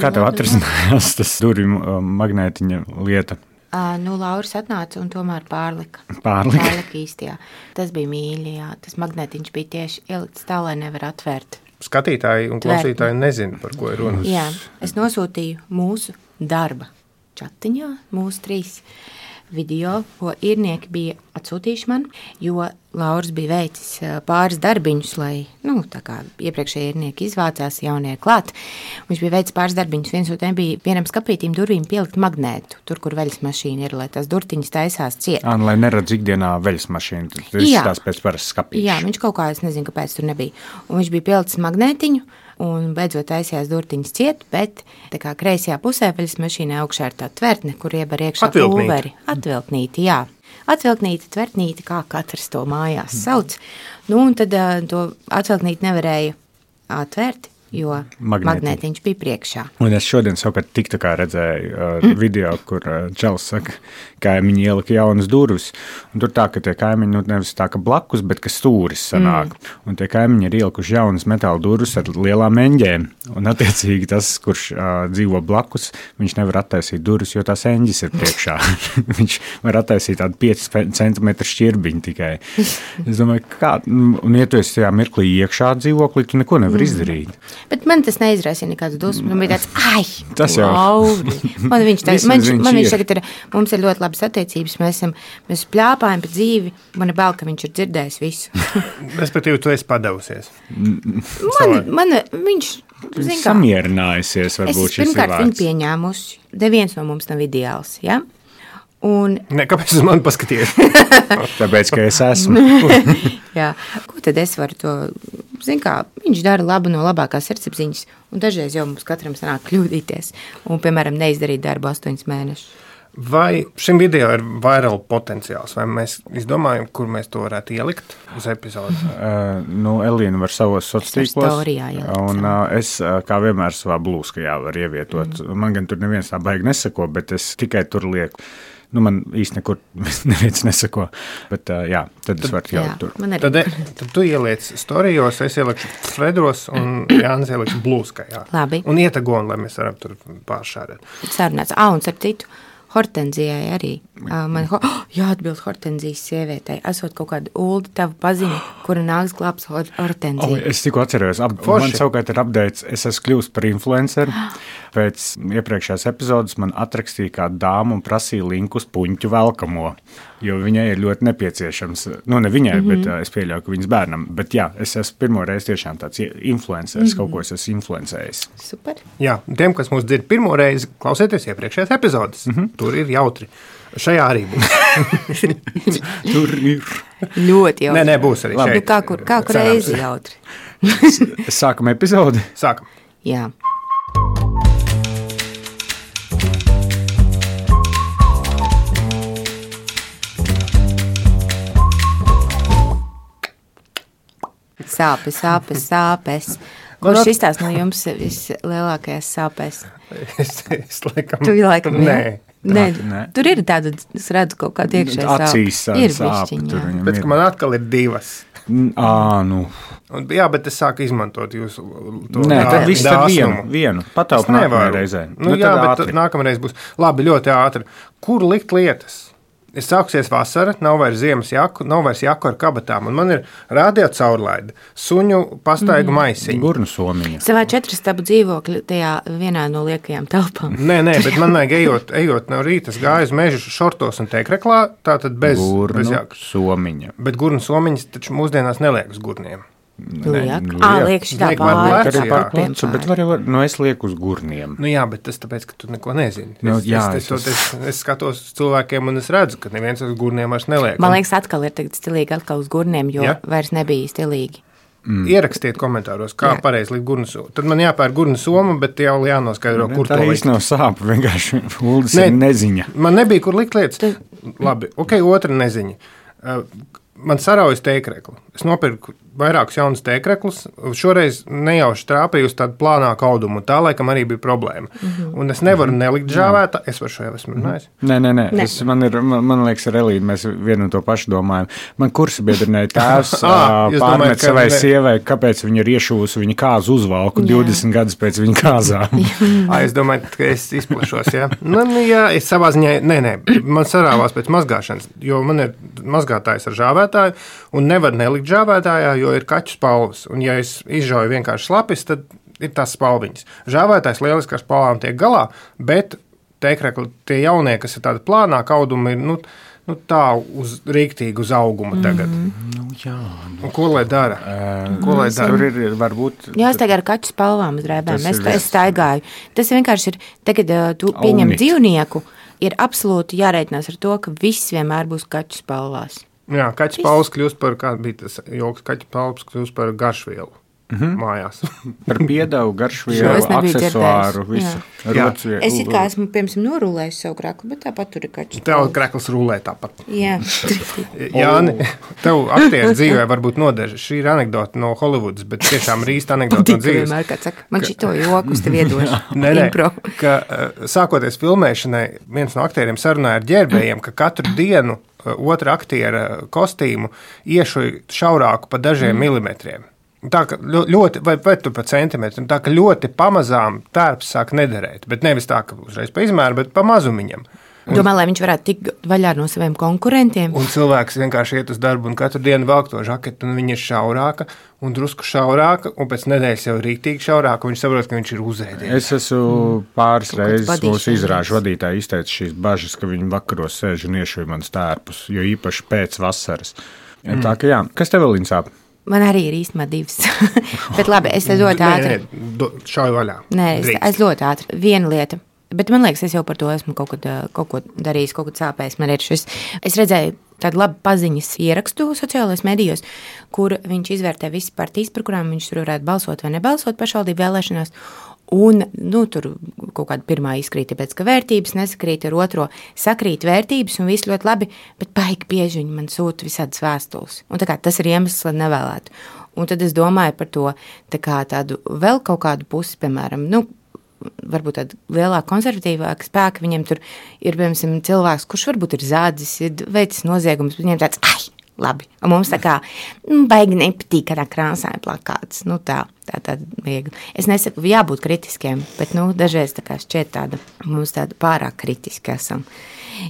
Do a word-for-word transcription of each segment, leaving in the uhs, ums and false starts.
Kā tev atrisinājās tas durvju magnētiņa lieta? Uh, nu, Lauris atnāca un tomēr pārlika. Pārlika? Pārlika īsti, jā. Tas bija mīļi, jā. Tas magnētiņš bija tieši ielikts tā, lai nevar atvērt. Skatītāji un klausītāji nezina, par ko ir runa. Jā, es nosūtīju mūsu darba čatiņā, mūsu trīs video, ko īrnieki bija atsūtījuši man, jo Lauris bija veicis pāris darbiņus, lai, nu, tā kā iepriekšēji īrnieki izvācās, jaunie klāt. Viņš bija veicis pāris darbiņus, viens no tiem bija vienam skapītīm durvīm pielikt magnētu, tur, kur veļas mašīna ir, lai tās durtiņas taisās ciet. Ā, lai neredz ikdienā veļas mašīnu, tas izstās pēc parasti skapīšu. Jā, viņš kaut kā, es nezinu, kāpēc tur nebija. Un viņš bija pielicis magnētiņu, un beidzot taisījās durtiņas ciet, bet tā kā kreisajā pusē veļas mašīnā augšā ir tā tvertne, kur iebar iekšā pulveri. Atvilknīti, jā. Atvilknīti, tvertnīti, kā katrs to mājās sauc. Nu, un tad uh, to atvilknīti nevarēja atvērt, jo Magnētiņ. magnētiņš bija priekšā. Un es šodien savukārt tik tā kā redzēju uh, mm. video, kur uh, Čels saka, kaimiņi ielika jaunas durvis. Un tur tā, ka tie kaimiņi, nu nevis tā, ka blakus, bet ka stūris sanāk. Mm. Un tie kaimiņi ir ielikuši jaunas metāla durvis ar lielām eņģēm. Un attiecīgi tas, kurš uh, dzīvo blakus, viņš nevar attaisīt durvis, jo tās eņģis ir priekšā. Viņš var attaisīt tādu pieci centimetru šķirbiņu tikai. Es domāju, kā, un ja tu esi tajā mirklī iekšā dzīvoklī, tu neko nevar mm. izdarīt. Bet man tas neizraisīja nekāds dusmas. Man bija tāds, ai, tas jau. Lauri. Man viņš, tā, man, man viņš tagad ir, mums ir ļoti labas attiecības, mēs esam, mēs pļāpājam pa dzīvi. Man ir bail, ka viņš ir dzirdējis visu. Respektīvi, tu esi padavusies. Man, man, viņš, zin kā. Samierinājusies, varbūt šis ir vārds. Es pirmkārt viņu pieņēmusi. Neviens no mums nav ideāls, ja? Un... Ne, kāpēc uz mani paskaties? Tāpēc, ka es esmu. Jā, ko tad es varu to, zin kā, viņš dara labu no labākās sirdsapziņas, un dažreiz jau mums katram sanāk kļūdīties, un, piemēram, neizdarīt darbu astoņus mēnešus. Vai šim video ir viral potenciāls, vai mēs izdomājam, kur mēs to varētu ielikt uz epizodu? Uh, nu, Elīna var savos sociālos, un uh, es, uh, kā vienmēr, savā blūskajā var ievietot. Mm. Man gan tur neviens tā baigi nesako, bet es tikai tur lieku. Nu, man īsti nekur neviens nesako, bet uh, jā, tad, tad es varu ielikt tur. Tad, tad tu ieliec storijos, es ielikšu Fredros un Jānis ielikšu blūskajā. Labi. Un ietagoni, lai mēs varam tur pāršārēt. Sarunāts. Ā, un starp citu, Hortenzijai arī. Man ho- oh, jāatbild Hortenzijas sievietei. Esot kaut kāda Ulda tavu paziņu, kura nāks glābs Hortenziju. Oh, es tikko atcerējos. Ab, man savukārt ir updates. Es esmu kļūst par influenceru. Pēc iepriekšējās epizodes man atrakstīja kādu dāmu un prasīja linku uz puņķu velkamo, jo viņai ir ļoti nepieciešams. Nu, ne viņai, mm-hmm. bet uh, es pieļauju, ka viņas bērnam. Bet jā, es esmu pirmo reizi tiešām tāds influenceris, mm-hmm. kaut ko es esmu influencējis. Super. Jā, tiem, kas mūs dzird pirmo reizi, klausieties iepriekšējās epizodes. Mm-hmm. Tur ir jautri. Šajā arī būs. Tur ir. Ļoti jautri. Nē, nē, būs arī Labi. šeit. Nu, kā kur, kā kur reizi jautri. Sākam epizodi? Sākam. Jā. Sāpes, sāpes, sāpes. Kurš izstās no jums vislielākajās sāpēs? Es, es laikam... Tu laikam, nē. Nē, nē. tur ir tāda, es redzu kaut kādu iekšēju sāpu. Acīs ir sāp, bišķiņ, tur jā. viņam Pēc, ir. ka man atkal ir divas. Ā, nu. Un, jā, bet es sāku izmantot jūsu to Nē, tad viss tad vienu, dāsnumu. vienu. Pataup Es nākamajā nevaru. reizē. Nu, Nu, jā, tad bet ātri. nākamreiz būs labi, ļoti ātri. Kur likt lietas? Ir sāksies vasara, nav vairs ziemas jaku, nav vairs jaku ar kabatām, un man ir rādio caurlaide, suņu pastaigu mm. maisiņu. Gurnu somiņa. Savā četrastabu dzīvokļu tajā vienā no liekajām telpām. Nē, nē, bet man vajag ejot, ejot no rīta, es gāju uz mežu šortos un teikreklā, tātad bez, Gurnu bez jakas. somiņa. Bet gurnu somiņas taču mūsdienās neliek uz gurniem. Liek. nu, Ā, liek. liek šitā Liek man pāri. plecu, Arī par jā. plecu, bet var, var, nu es lieku uz gurniem. Nu jā, bet tas tāpēc, ka tu neko nezini. Nu, es, jā, es, es, es- es, es, es skatos uz cilvēkiem un es redzu, ka neviens uz gurniem vairs neliek. Man liekas, atkal ir tagad stilīgi atkal uz gurniem, jo Ja? vairs nebija stilīgi. Mm. Ierakstiet komentāros, kā Jā. pareizi likt gurnu somu. Tad man jāpēr gurnu soma, bet jau jānoskaidro, kur Tā to likt. īsti nav sāpa, vienkārši Uldis Nē. ir neziņa. Man nebija, kur likt lietas. Labi, ok, otra neziņa. Uh, man saraujas tēkrekli. Es nopirku vairākus jaunus tēkreklus. Šoreiz nejauši trāpīju uz tādu plānāku audumu. Tā laikam arī bija problēma. Mm-hmm. Un es nevaru mm-hmm. nelikt žāvētā. Es par šo jau esmu runājis. Nē, nē, nē. Es, man, ir, man, man liekas, ar Elīnu mēs vienu un to pašu domājam. Man kursa biedrinēja tēvs pārmet savai ne... sievai, kāpēc viņa ir iešūs viņa kāzu uzvalku jā. divdesmit gadus pēc viņa kāzām. Ā, es domāju, ka es izplašos, jā. Nu, jā, es savā ziņā, nē, nē, man sarāvās pēc mazgāšanas, jo man ir mazgātājs ar žāvētāju un nevar nelikt žāvētājā, jo ir kaķu spalvas. Un ja es izžauju vienkārši slapis, tad ir tās spalviņas. Žāvētājs lieliski ar spalvām tiek galā, bet tēkrekli tie jaunie, kas ir tādi plānāki audumi, ir, nu, nu tā uz rīktīgi uz auguma tagad. Mm. Nu, jā. Nu. Un ko lai dara? Uh, ko lai dara? Tur ir varbūt... Jā, es tagad ar kaķu spalvām uz drēbēm. Es, es staigāju. Tas vienkārši ir, tagad uh, tu pieņem Aunit. dzīvnieku, ir absolūti jārēķinās ar to, ka viss vienmēr būs kaķu spalvās. Jā, kaķu spalvas kļūst par, kā bija tas joks, kaķu spalvas kļūst par garšvielu mm-hmm. mājās. Par piedevu, garšvielu, aksesuāru, visu. Rotsvielu. Es it kā esmu, piemēram, norulējis savu kreklu, bet tāpat tur ir kaķu spalvas. Tev krekls rulē tāpat. Jā. Jāni, tev aktieru dzīvē varbūt nodeža. Šī ir anekdota no Hollywoodas, bet tiešām ir īsta anekdota no dzīves. Vienmēr, kad saka, man šito joku uz tevi iedošu. Nē, nē, ka sākoties filmēšanai, viens no aktieriem sarunāja ar ģērbējiem, ka katru dienu otra aktiera kostīmu iešuja šaurāku pa dažiem mm. milimetriem. Tā ka ļoti, vai, vai tur pa centimetriem, tā ka ļoti pamazām tērps sāk nederēt, bet nevis tā, ka uzreiz pa izmēru, bet pa mazumiņam. Un, domā, lai viņš varētu tikt vaļā no saviem konkurentiem. Un cilvēks vienkārši iet uz darbu un katru dienu velk to žaketu, un viņa ir šaurāka un drusku šaurāka, un pēc nedēļas jau rīktīgi šaurāka, un viņš saprot, ka viņš ir uzēdies. Es esmu mm. pāris reizes mūsu izrāžu vadītāji izteica šīs bažas, ka viņi vakaros sēž un iešuj manas tērpus, jo īpaši pēc vasaras. Ja, mm. Tā ka jā, kas tev vēl viņa sāp? Man arī ir īstenībā divas. Bet labi, es ļoti ātri. Nē, nē, šauju vaļā. Nē, es, es ļoti ātri. Viena lieta. Bet man liekas, es jau par to esmu kaut, kad, kaut ko darījis, kaut ko sāpējis. Man ir šis. Es redzēju tādu labu paziņas ierakstu sociālajos medijos, kur viņš izvērtē visas partijas, par kurām viņš tur varētu balsot vai nebalsot pašvaldību vēlēšanās. Un, nu, tur kaut kāda pirmā izkrīt, tāpēc, ka vērtības nesakrīt ar otro, sakrīt vērtības un viss ļoti labi, bet baigi bieži viņi man sūta visādas vēstules. Un tā kā tas ir iemesls, lai nevēlētu. Un tad es domāju par to tā kā tādu vēl kaut kādu pusi, piemēram, nu, varbūt tāda lielāka konservatīvāka spēka, viņiem tur ir, piemēram, cilvēks, kurš varbūt ir zādzis, ir veicis noziegums, bet viņiem tāds, ai, labi, un mums tā kā, nu, baigi nepatīk kādā krāsā plakāts, nu tā, tā, tā viegli. Es nesaku, jābūt kritiskiem, bet, nu, dažreiz tā kā šķiet tāda, mums tāda pārāk kritiski esam.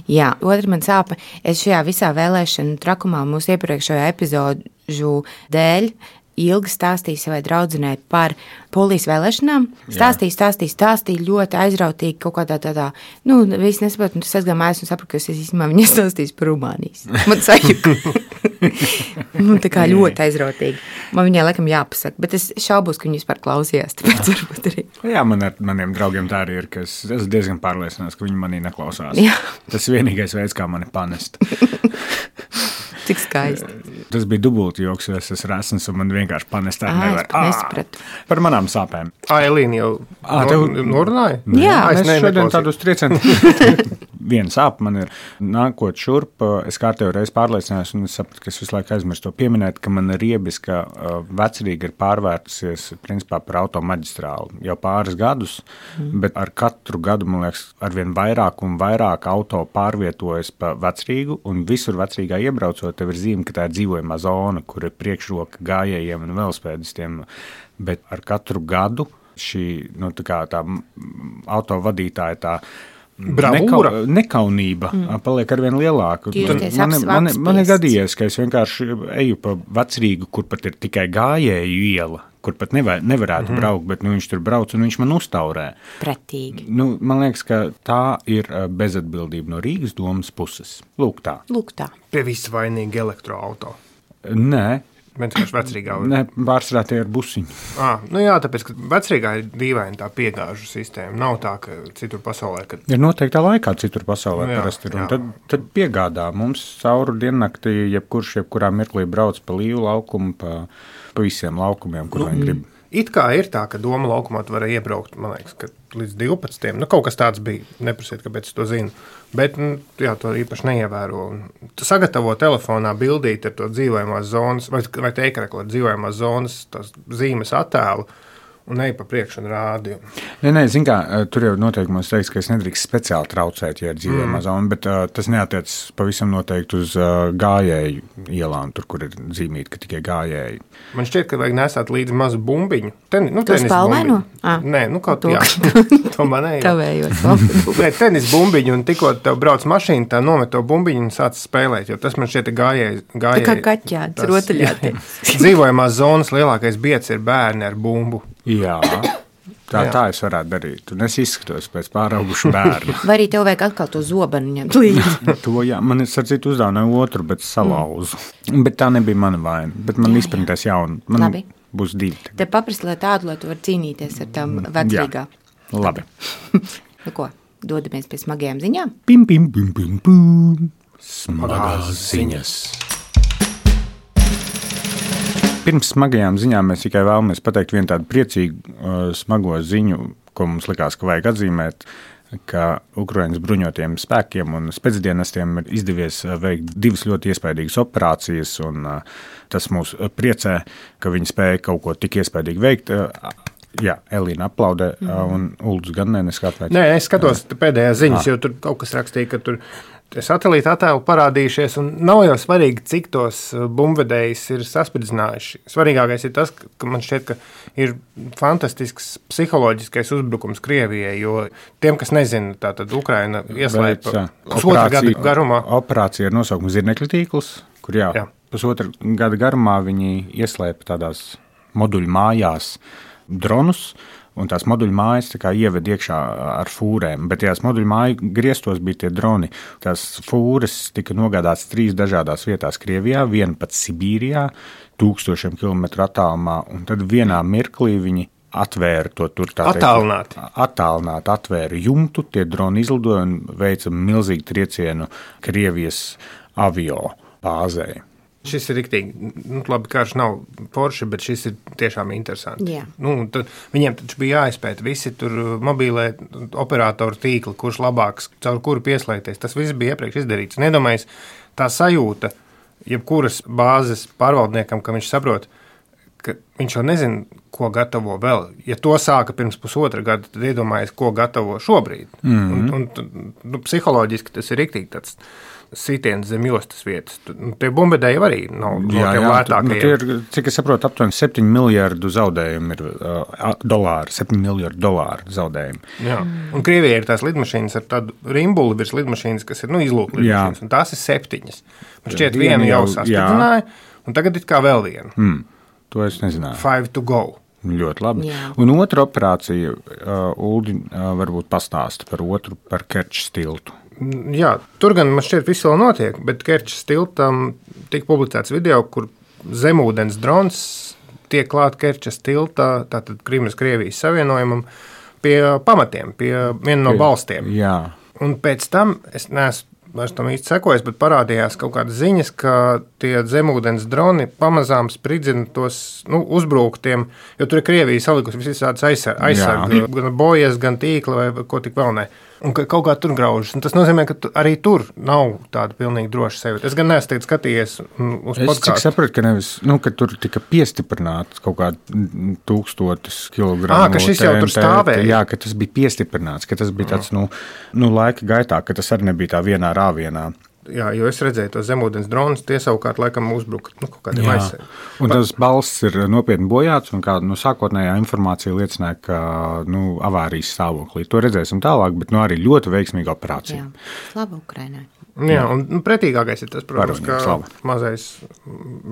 Jā, otra man sāpa, es šajā visā vēlēšanu trakumā mūsu iepriekšējā epizodžu dēļ ilgi stāstīja savai draudzenei par polijas vēlēšanām. Stāstīja, stāstīja, stāstīja ļoti aizrautīgi kaut kādā tādā, nu, viss nesaprot, un tas aizgāja mājās un sapratu, ka es īstenībā viņa stāstīs par Rumānijas. Man sajūta. Nu, tā kā ļoti aizrautīgi. Man viņai laikam jāpasaka, bet es šaubos, ka viņi vispār klausījās, tāpēc varbūt arī. Jā, man ar maniem draugiem tā arī ir, ka es esmu diezgan pārliecināts, ka viņi manī neklausās. Jā. Tas ir vienīgais veids, kā mani panest. Cik skaisti. Tas bija dubulti joks, jo es esmu resns un man vienkārši panest tā nevar. Nesapratu. Par manām sāpēm. Ā, Elīna jau Ā, tev... norunāja? Jā. Es ne, šodien tādu uz triecienu. Viena sāp man ir nākot šurp, es kārtējo reizi pārliecinājos un es sapratu, ka es visu laiku aizmirstu to pieminēt, ka man riebiska vecrīga ir pārvērtusies principā par automaģistrālu jau pāris gadus, mm. bet ar katru gadu, man liekas, arvien vairāk un vairāk auto pārvietojas pa vecrīgu un visur vecrīgā iebraucot, tev ir zīme, ka tā ir dzīvojamā zona, kur ir priekšroka gājējiem un velospēdistiem, bet ar katru gadu šī, nu, tā kā tā autovadītāja tā Nekau, nekaunība mm. paliek arvien lielāka. Man, man, man ir gadījies, ka es vienkārši eju pa vecrīgu, kur pat ir tikai gājēju iela, kur pat nevar, nevarētu mm-hmm. braukt, bet nu, viņš tur brauc un viņš man uztaurē. Pretīgi. Nu, man liekas, ka tā ir bezatbildība no Rīgas domas puses. Lūk tā. Lūk tā. Pie visa vainīgi elektroauto. Nē. Vienkārši vecrīgā. Nē, pārsvarā tie ir busiņi. À, nu jā, tāpēc, ka vecrīgā ir dīvaina tā piegāžu sistēma. Nav tā, ka citur pasaulē... Kad... Ir noteiktā laikā citur pasaulē nu jā, parasti ir. Un tad, tad piegādā mums cauru diennaktī, jebkurš, jebkurā mirklī brauc pa līvu laukumu, pa, pa visiem laukumiem, kur nu, viņi grib. It kā ir tā, ka Doma laukumā var iebraukt, man liekas, ka līdz divpadsmitiem. Nu, kaut kas tāds bija, neprasiet, kāpēc es to zinu. Bet, nu, jā, to īpaši neievēro. Tu sagatavo telefonā bildīt ar to dzīvojamās zonas, vai, vai teikrekli ar dzīvojamās zonas, tās zīmes attēlu, un ej pa priekšu un rādi. Nē, nē, zin kā, tur jau noteikumos teiks, ka es nedrīkst speciāli traucēt, ja ir dzīvojamā mm. zona, bet uh, tas neatiec pavisam noteikti uz uh, gājēju ielām, tur, kur ir zīmīti, ka tikai gājēji. Man šķiet, ka vajag nesāt līdzi mazu bumbiņu. Ten, nu, tenis bumbiņu? Ah. Nē, nu kaut to. Jā. To manēju. Tavējot. Nē, tenis bumbiņu, un tikko tev brauc mašīna, tā nomet to bumbiņu un sāc spēlēt, jo tas man šķiet gājēji. Tā kā kaķēts, rotaļāti. Dzīvojamās zonas lielākais biets ir bērni ar bumbu. Jā, tā, jā. tā es varētu darīt. Un es izskatos pēc pāraugušu bērnu. Vai arī tev vajag atkal to zobenu ņemt līdzi? To, jā, man ir sacīt uzdāvināju otru, bet salauzu. Mm. Bet tā nebija mana vaina. Bet man izprintēs jaunu. Man Labi. Būs divi. Te paprasti, lai tādu, lai tu var cīnīties ar tām vecīgā. Jā. Labi. Nu ko, dodamies pie smagajām ziņām? Pim, pim, pim, pim, pim. Smagās ziņas. Pirms smagajām ziņām mēs tikai vēlamies pateikt vienu tādu priecīgu, uh, smago ziņu, ko mums likās, ka vajag atzīmēt, ka Ukrainas bruņotiem spēkiem un spēcdienestiem ir izdevies veikt divas ļoti iespaidīgas operācijas, un uh, tas mūs priecē, ka viņi spēja kaut ko tik iespaidīgi veikt. Uh, jā, Elīna aplaudē, uh, un Uldus gan ne, neskatvēs. Nē, es skatos pēdējās ziņas, ah. jo tur kaut kas rakstīja, ka tur satelīta attēlu parādījušies, un nav jau svarīgi, cik tos bumbvedējus ir saspridzinājuši. Svarīgākais ir tas, ka man šķiet, ka ir fantastisks psiholoģiskais uzbrukums Krievijai, jo tiem, kas nezina, tātad Ukraina ieslēpa pusotra gada garumā. Operācija ar nosaukumu Zirnekļu tīkls, kur jā, jā. pusotra gada garumā viņi ieslēpa tādās moduļu mājās dronus, un tās moduļu mājas tā kā ieved iekšā ar fūrēm, bet tajās moduļu māju griestos bija tie droni. Tās fūres tika nogādāts trīs dažādās vietās Krievijā, viena pat Sibīrijā, tūkstošiem kilometru attālumā, un tad vienā mirklī viņi atvēra to tur tā teikt. Attālināt. Attālināt, atvēra jumtu, tie droni izlidoja un veica milzīgu triecienu Krievijas avio bāzē. Šis ir riktīgi, nu, labi, karš nav Porsche, bet šis ir tiešām interesanti. Jā. Nu, tad, viņiem taču bija jāizpēta visi tur mobīlē operatoru tīkli, kurš labāks, caur kuru pieslēgties. Tas viss bija iepriekš izdarīts. Nedomājies, tā sajūta, jebkuras bāzes pārvaldniekam, ka viņš saprot, ka viņš jau nezina, ko gatavo vēl. Ja to sāka pirms pusotra gada, tad iedomājies, ko gatavo šobrīd. Mm-hmm. Un, un, nu, psiholoģiski tas ir riktīgi tāds sitiens zem jostas vietas. Tie bumbvedēji arī nav no jā, tiem jā, lētākajiem. Nu, tie ir, cik es saprotu, aptuveni septiņu miljardu zaudējumu ir uh, dolāri, septiņu miljardu dolāru zaudējumu. Jā. Un Krievijai ir tās lidmašīnas ar tādu rimbuli virs lidmašīnas, kas ir, nu, izlūk lidmašīnas, un tās ir septiņas. Man šķiet, vienu jau sastiprināja, un tagad it kā vēl vienu. Mm, to es nezināju. Five to go. Ļoti labi. Jā. Un otra operācija, uh, Uldi, uh, varbūt pastāsta par otru, par Kerčas tiltu. Jā, tur gan man šķiet viss vēl notiek, bet Kerčas tiltam tika publicēts video, kur zemūdens drons tiek klāt Kerčas tiltā, tātad Krimas Krievijas savienojumam, pie pamatiem, pie viena no balstiem. Jā. Un pēc tam, es neesmu vairs tam īsti sekojis, bet parādījās kaut kādas ziņas, ka tie zemūdens droni pamazām spridzina tos, nu, uzbruktiem, jo tur ir Krievija salikusi visādas aizsargi, gan bojas, gan tīkli vai ko tik vēl ne. Un ka kaut kā tur graužas. Un tas nozīmē, ka tu, arī tur nav tāda pilnīgi droša sevi. Es gan neesmu tagad skatījies uz podkāstu. Es cik sapratu, ka nevis, nu, ka tur tika piestiprināts kaut kā tūkstotis kilogramu. Ā, ka šis jau tur stāvēja. Jā, ka tas bija piestiprināts, ka tas bija tāds, nu, nu laika gaitā, ka tas arī nebija tā vienā rāvienā. Jā, jo es redzēju tos zemūdens dronus, tie savukārt laikam uzbruka, nu, kaut kādiem aizsargiem. Un tas balsts ir nopietni bojāts, un kā, nu, sākotnējā informācija liecināja, ka, nu, avārijas stāvoklī. To redzēsim tālāk, bet, nu, arī ļoti veiksmīga operācija. Jā, slava Ukrainai. Jā, un nu, pretīgākais ir tas, protams, Varoņiem, ka slava. mazais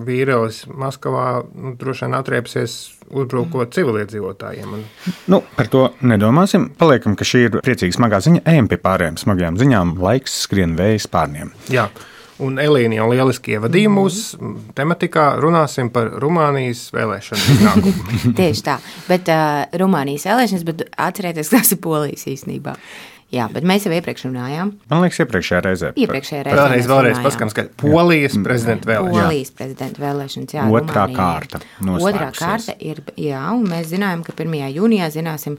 vīrielis Maskavā, nu, droši vien atriepsies uzbrukot civiliedzīvotājiem. Un... Nu, par to nedomāsim. Paliekam, ka šī ir priecīga smagā ziņa. Ejam pie pārējām smagajām ziņām. Laiks skrien vējas pārniem. Jā, un Elīna jau lieliski ievadīja mūsu tematikā. Runāsim par Rumānijas vēlēšanu iznākumu. Tieši tā, bet uh, Rumānijas vēlēšanas, bet atcerieties, tas ir Polijas īstenībā. Jā, bet mēs jau iepriekš runājām. Man liekas, iepriekšējā reizē. Iepriekšējā reizē. Vēlreiz, vēlreiz paskatām, ka Polijas prezidenta vēlēšanas. Polijas prezidenta vēlēšanas, jā. Otrā Rumānijā. kārta noslēgusies. Otrā kārta ir, jā, un mēs zinājām, ka pirmajā jūnijā zināsim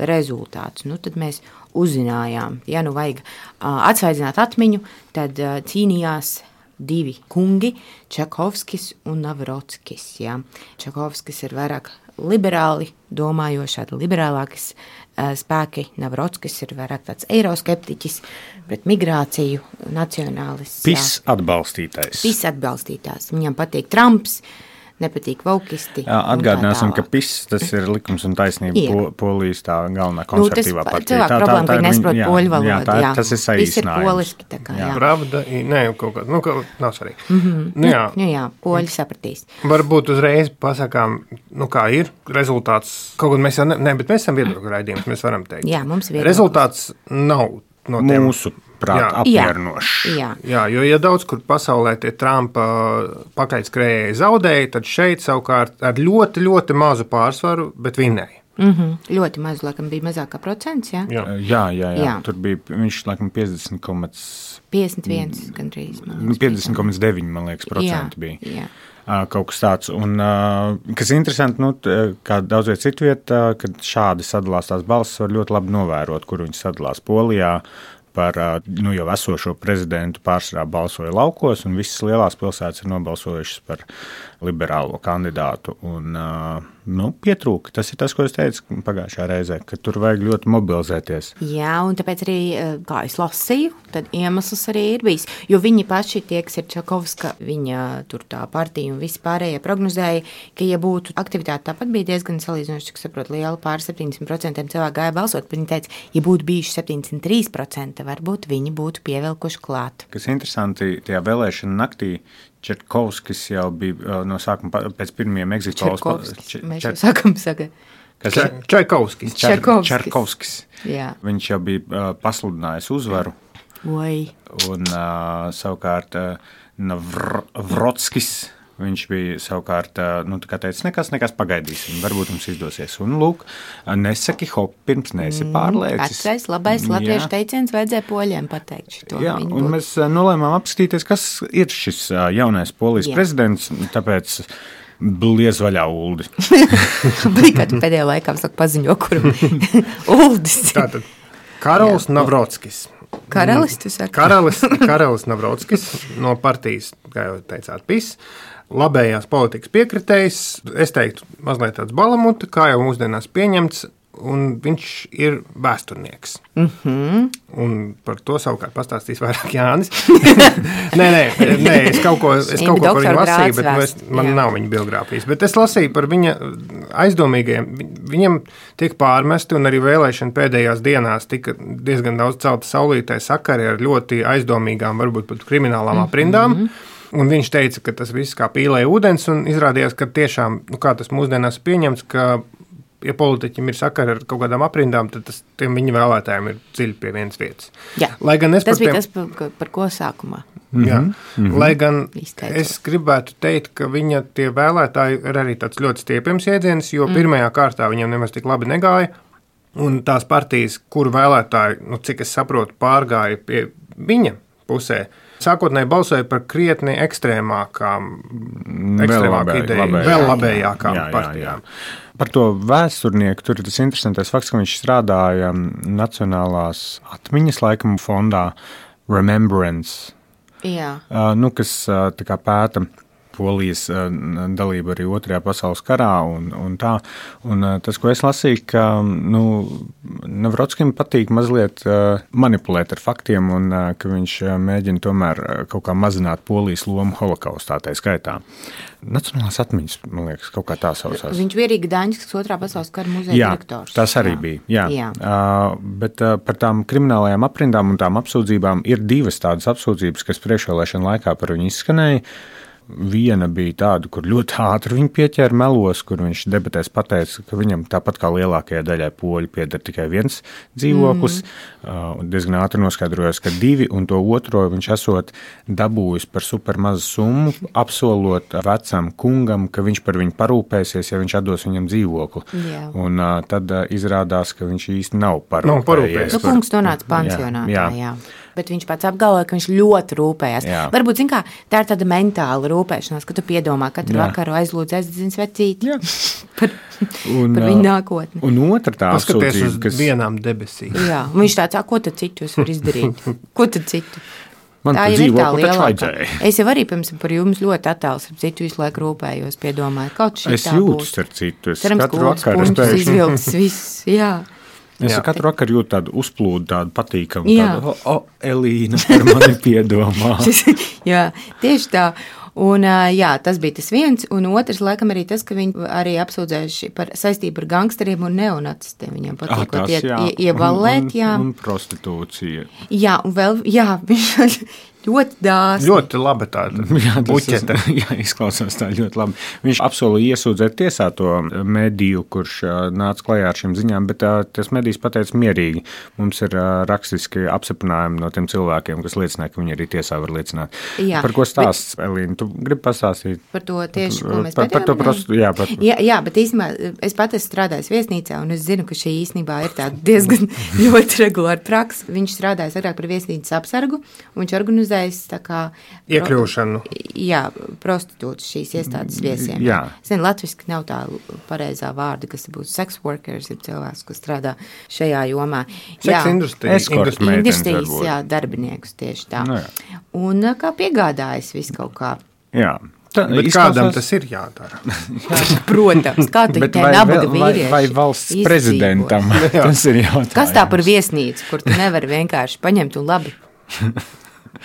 rezultātus. Nu, tad mēs uzzinājām, ja nu vajag uh, atsvaidzināt atmiņu, tad uh, cīnījās divi kungi, Čakovskis un Navrotskis. Jā. Čakovskis ir vairāk liberāli domājoši, tādi liberālākas uh, spēki. Navrotskis ir vairāk tāds eiroskeptiķis, pret migrāciju, nacionālists. Pis atbalstītājs. Pis atbalstītājs. Viņam patīk Trumps, nepatīk vaukisti. Jā, atgādināsim, ka PIS tas ir likums un taisnība po, Polijas tā galvenā konservatīvā nu, partija. Tā, tā, problēma, ka viņi nesaprot poļu valodu. Jā, tā, jā. tas ir saīsinājums. PIS ir poliski, tā kā, jā. Pravda, nē, kaut kā, nu, kaut, nav svarīgi. Mm-hmm. Nu, jā. Nu, jā, poļi sapratīs. Varbūt uzreiz pasakām, nu, kā ir rezultāts. Kaut gan mēs jau, ne, ne bet mēs esam viedokļu raidījums, mēs varam teikt. Jā, mums viedokļus. Rezultāts nav no tiem. Mūsu prāt apmierinošs. Jā. jā, jo ja daudz kur pasaulē tie Trumpa pakaļskrējēji zaudēja, tad šeit savukārt ar ļoti, ļoti mazu pārsvaru, bet vinnēja. Mm-hmm. Ļoti maz, laikam, bija mazākā procents, jā? Jā, jā, jā, jā. jā. Tur bija, viņš, laikam, piecdesmit, piecdesmit viens gandrīz. piecdesmit komats deviņi, man liekas, procenti bija. Jā. Kaut kas tāds. Un, kas interesanti, nu, kā daudz viet citu vietā, kad šādi sadalās tās balsis, var ļoti labi novērot, kur viņi sadalās Polijā. Par nu, jau esošo prezidentu pārsvarā balsoja laukos, un visas lielās pilsētas ir nobalsojušas par liberālo kandidātu. Un, nu, pietrūka. Tas ir tas, ko es teicu pagājušā reizē, ka tur vajag ļoti mobilizēties. Jā, un tāpēc arī, kā es lasīju, tad iemesls arī ir bijis. Jo viņi paši, tie, kas ir Čakovska, viņa tur tā partija un visi pārējie prognozēja, ka, ja būtu aktivitāte, tāpat bija diezgan salīdzinoši, cik saprot, liela pār septiņdesmit procentiem cilvēku gāja balsot, bet viņi teica, ja būtu bijuši septiņdesmit trīs procenti, varbūt viņi būtu pievilkuši klāt. Kas interesanti, tajā vēlēšana naktī Čerkovskis jau bija no sākuma pēc pirmajiem exit polls. Čerkovskis, mēs jau sākam saka. Čaikovskis. Čerkovskis. Jā. Viņš jau bija uh, pasludinājis uzvaru. Oi. Un uh, savukārt uh, Navrotskis, viņš bija savukārt, uh, nu, tā kā teica, nekas, nekas pagaidīsim, varbūt mums izdosies. Un, lūk, nesaki hop, pirms neesi pārlēcis. Vecais, labais latviešu teiciens vajadzēja poļiem pateikt šito. Jā, Viņi un būtu. mēs uh, nolēmām apskatīties, kas ir šis uh, jaunais Polijas Jā. prezidents, tāpēc bliez vaļā Uldi. Bija, kad pēdējā laikā saka paziņo, kur Uldis. Tātad Karols Navrotskis. Karalis, tu saki? Karalis, Karalis Navrotskis no partijas, kā jau teicāt, PIS. Labējās politikas piekritējs, es teiktu, mazliet tāds balamuta, kā jau mūsdienās pieņemts, un viņš ir vēsturnieks. Mm-hmm. Un par to savukārt pastāstīs vairāk Jānis. nē, nē, nē, es kaut ko, es kaut ko par viņu lasīju, bet es, man jā. nav viņa biogrāfijas. Bet es lasīju par viņa aizdomīgajiem. Viņam tiek pārmesti, un arī vēlēšana pēdējās dienās tika diezgan daudz celta saulītē sakari ar ļoti aizdomīgām, varbūt pat kriminālām aprindām. Mm-hmm. Un viņš teica, ka tas viss kā pīlēja ūdens, un izrādījās, ka tiešām, nu kā tas mūsdienās pieņemts, ka, ja politiķim ir sakari ar kaut kādām aprindām, tad tas tiem viņa vēlētājiem ir dziļi pie vienas vietas. Jā, Lai gan es tas par bija tiem, tas, par, par ko sākumā. Jā, mm-hmm. Lai gan Izteicot. es gribētu teikt, ka viņa tie vēlētāji ir arī tāds ļoti stiepjams iedziens, jo mm. pirmajā kārtā viņam nemaz tik labi negāja, un tās partijas, kuru vēlētāji, nu cik es saprotu, pārgāja pie viņa pusē, sākotnēji balsoja par krietni ekstrēmākām, ekstrēmāku ideju, vēl labējākām jā, jā, partijām. Jā, jā. Par to vēsturnieku tur ir tas interesantais fakts, ka viņš strādāja Nacionālās atmiņas laikam fondā Remembrance, Jā. uh, nu, kas uh, tā kā pēta Polijas uh, dalību arī Otrajā pasaules karā un, un tā. Un uh, tas, ko es lasīju, ka nu, Navrotskim patīk mazliet uh, manipulēt ar faktiem un uh, ka viņš uh, mēģina tomēr uh, kaut kā mazināt Polijas lomu holokaustā tai skaitā. Nacionālās atmiņas, man liekas, kaut kā tā sausās. Viņš bija arī Gdaņskas Otrā pasaules kara muzeja jā, direktors. Tas arī jā. bija. Jā. Jā. Uh, bet uh, par tām kriminālajām aprindām un tām apsūdzībām ir divas tādas apsūdzības, kas priekšvēlēšana laikā par viņu izskanēja. viena bija tāda, kur ļoti ātri viņu pieķēra melos, kur viņš debatēs pateica, ka viņam tāpat kā lielākajai daļai poļu pieder tikai viens dzīvoklis. Mm. Diezgan ātri noskaidrojās, ka divi, un to otro viņš esot dabūjis par super mazu summu, apsolot vecam kungam, ka viņš par viņu parūpēsies, ja viņš atdos viņam dzīvokli. Yeah. Un uh, tad uh, izrādās, ka viņš īsti nav parūpējies. No, parūpējies. Nu, kungs nonāca pansionātā, jā. jā. Bet viņš pats apgalvoja, ka viņš ļoti rūpējās. Jā. Varbūt, zin kā, tā ir tāda mentāla rūpēšanās, ka tu piedomā katru Jā. vakaru aizlūdz aizdedzins vecīti par, un, par viņu nākotni. Un otra tā paskaties uz kas... vienām debesīm. Jā, un viņš tāds, ko tad citu es varu izdarīt? Ko tad citu? Man tā jau ir tā lielākā. Es jau arī, pirms par jums ļoti attāls ar citu visu laiku rūpējos, piedomāju, kaut šī es tā būs. Es jūtu ar citu. Es Cerams, katru vakaru es izvilks viss, jā. Es jā. katru vakaru jūtu tādu uzplūdu, tādu patīkamu, tādu, o, oh, oh, Elīna, par mani piedomā. jā, tieši tā. Un, jā, tas bija tas viens, un otrs, laikam, arī tas, ka viņi arī apsūdzējuši par saistību ar gangsteriem un neonacistiem. Viņam patīkot ah, ie, ie, ieballēt, jā. Un, un, un prostitūcija. Jā, un vēl, jā, viņš ļoti dāsni. Ļoti labi tāda buķete. Jā, izklausās tā ļoti labi. Viņš apsolīja iesūdzēt tiesā to mediju, kurš nāca klajā ar šīm ziņām, bet tas medijs pateica mierīgi. Mums ir rakstiski apstiprinājumi no tiem cilvēkiem, kas liecināja, ka viņi arī tiesā var liecināt. Jā, par ko stāsts, bet... Elīna? Tu gribi pastāstīt? Par to tieši, ko mēs par, par to prostu, jā, par... jā, jā, bet īstenībā es pat esmu strādājis viesnīcā, un es zinu, ka šī īstenībā ir tāda diezgan ļoti regulāra praksa. Viņš strādājis agrāk par viesnīcas apsargu, un viņš organizējis tā kā... Iekļūšanu. Pro, jā, prostitūtas šīs iestādes viesiem. Jā. Zinu, latviski nav tā pareizā vārda, kas būs sex workers, ir cilvēks, kas strādā šajā jomā. Sex industrijas. Industrijas, jā, darbiniekus tieši tā. No, jā. Un kā piegādājas visu kaut kā. Jā. Tā, bet izklausās... kādam tas ir jādara? Protams, kā tu te nabaga vīrieši. Vai, vai valsts izdzīvos. Prezidentam, tas ir jautājums. Kas tā par viesnīcu, kur tu nevari vienkārši paņemt un labi?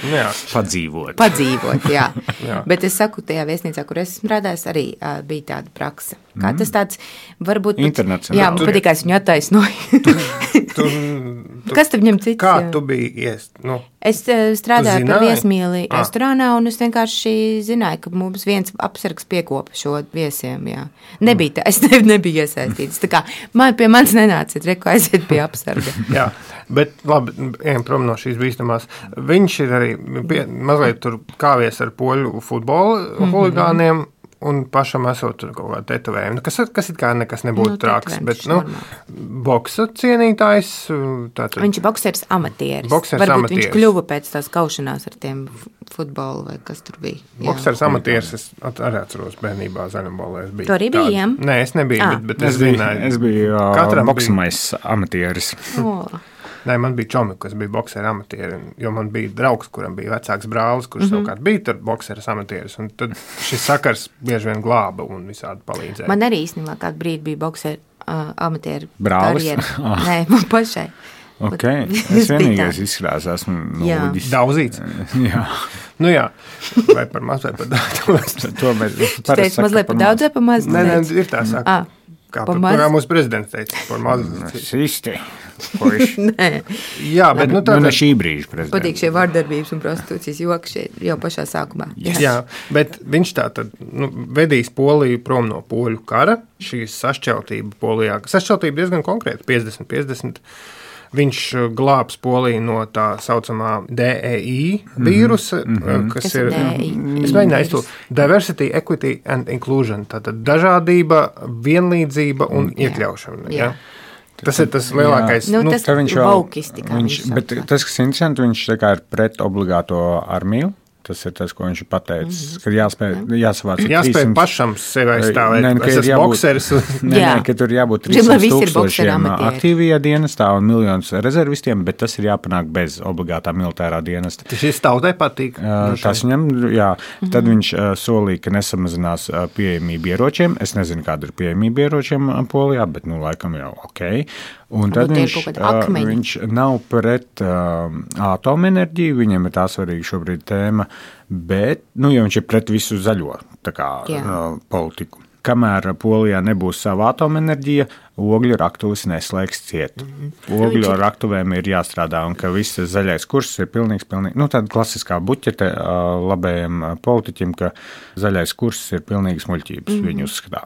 Jā. Padzīvot. Padzīvot, jā. jā. Bet es saku, tajā viesnīcā, kur es strādājos, arī uh, bija tāda praksa. Kā mm. tas tāds, varbūt... Internacionāli. Jā, man patīk, kā es viņu attaisnoju. tu, tu, tu, Kas tad viņam cits? Kā jā. tu biji iest? Nu, es uh, strādāju par viesmīli ah. restorānā, un es vienkārši zināju, ka mums viens apsargs piekopa šo viesiem, jā. Nebija tā, es ne, nebiju iesaistīts. Tā kā man pie manis nenāciet, reku aiziet pie apsarga. jā, bet labi, ejam prom no šīs bīstamās. Viņš ir arī pie, mazliet tur kāvies ar poļu futbola mm-hmm. huligāniem, un pašam esot tur kaut kāda tetovējuma, kas, kas it kā nekas nebūtu nu, traks, bet, nu, boksa cienītājs. Tātad, viņš ir boksers amatieris. Boksers Varbūt amatieris. Viņš kļuva pēc tās kaušanās ar tiem futbolu vai kas tur bija. Boksers amatieris, es arī atceros bērnībā zaļumbolē. Tu arī biji, jā? Nē, es nebiju, ah. bet, bet es, es zināju. Es biju uh, boksamais amatieris. Oh. Nē, man bija čomi, kas bija boksera amatieri, jo man bija draugs, kuram bija vecāks brālis, kurš mm-hmm. savukārt bija tur bokseras amatieris, un tad šis sakars bieži vien glāba un visādi palīdzēja. Man arī īstenībā kādu brīdi bija boksera uh, amatieru brālis? karjera. Ah. Nē, man pašai. Ok, es vienīgais izskatās, esmu nolūdis. Daudzīts? jā. Nu jā, vai par maz vai par daudz. to mēs Tu teici mazliet par daudz vai par maz? Nē, nē, ir tā saka. Ah. Kā, par, kā mūsu prezidents teica, par mazu. Sisti. Jā, bet nu tā... Nu, ne šī brīža prezidents. Patīk šie vārdarbības un prostitūcijas joki šeit jau pašā sākumā. Jā, Jā bet viņš tā tad nu, vedīs Poliju prom no poļu kara, šīs sašķeltība Polijā. Sašķeltība diezgan konkrēta, piecdesmit piecdesmit. Viņš glābs Poliju no tā saucamā D E I vīrusa, mm-hmm. kas, kas ir, es mēģināju aiztūt, Diversity, Equity and Inclusion, tātad dažādība, vienlīdzība un jā. Iekļaušana. Jā. Jā. Tas ir tas lielākais. Nu, nu, tas viņš vaukisti, kā viņš, viņš bet tas, kas interesanti, viņš tā kā ir pret obligāto armiju. Tas ir tas, ko viņš ir pateicis, mm-hmm. ka jāspēj, jāsavāc jāspēj trīsimt pašam sevi aizstāvēt. Nē, es esmu bokseris. Nē, nē, ka tur jābūt trīsimt tūkstošiem aktīvajā dienestā un miljonus rezervistiem, bet tas ir jāpanāk bez obligātā militārā dienesta. Tas šis tautai patīk. Tas viņam, jā. Mm-hmm. Tad viņš solīja, ka nesamazinās pieejamību ieročiem. Es nezinu, kāda ir pieejamība ieročiem Polijā, bet, nu, laikam jau ok. Un tad viņš, uh, viņš nav pret uh, atomenerģiju, viņam ir tā svarīga šobrīd tēma, bet, nu, ja viņš ir pret visu zaļo tā kā, uh, politiku. kamēr Polijā nebūs sava atomenerģija, ogļu raktuves neslēgs ciet. Ogļu raktuvēm ir jāstrādā, un ka viss zaļais kurs ir pilnīgs, pilnīgi, nu tāda klasiskā buķete labējiem politiķim, ka zaļais kurs ir pilnīgas muļķības, mm. viņi uzskatā.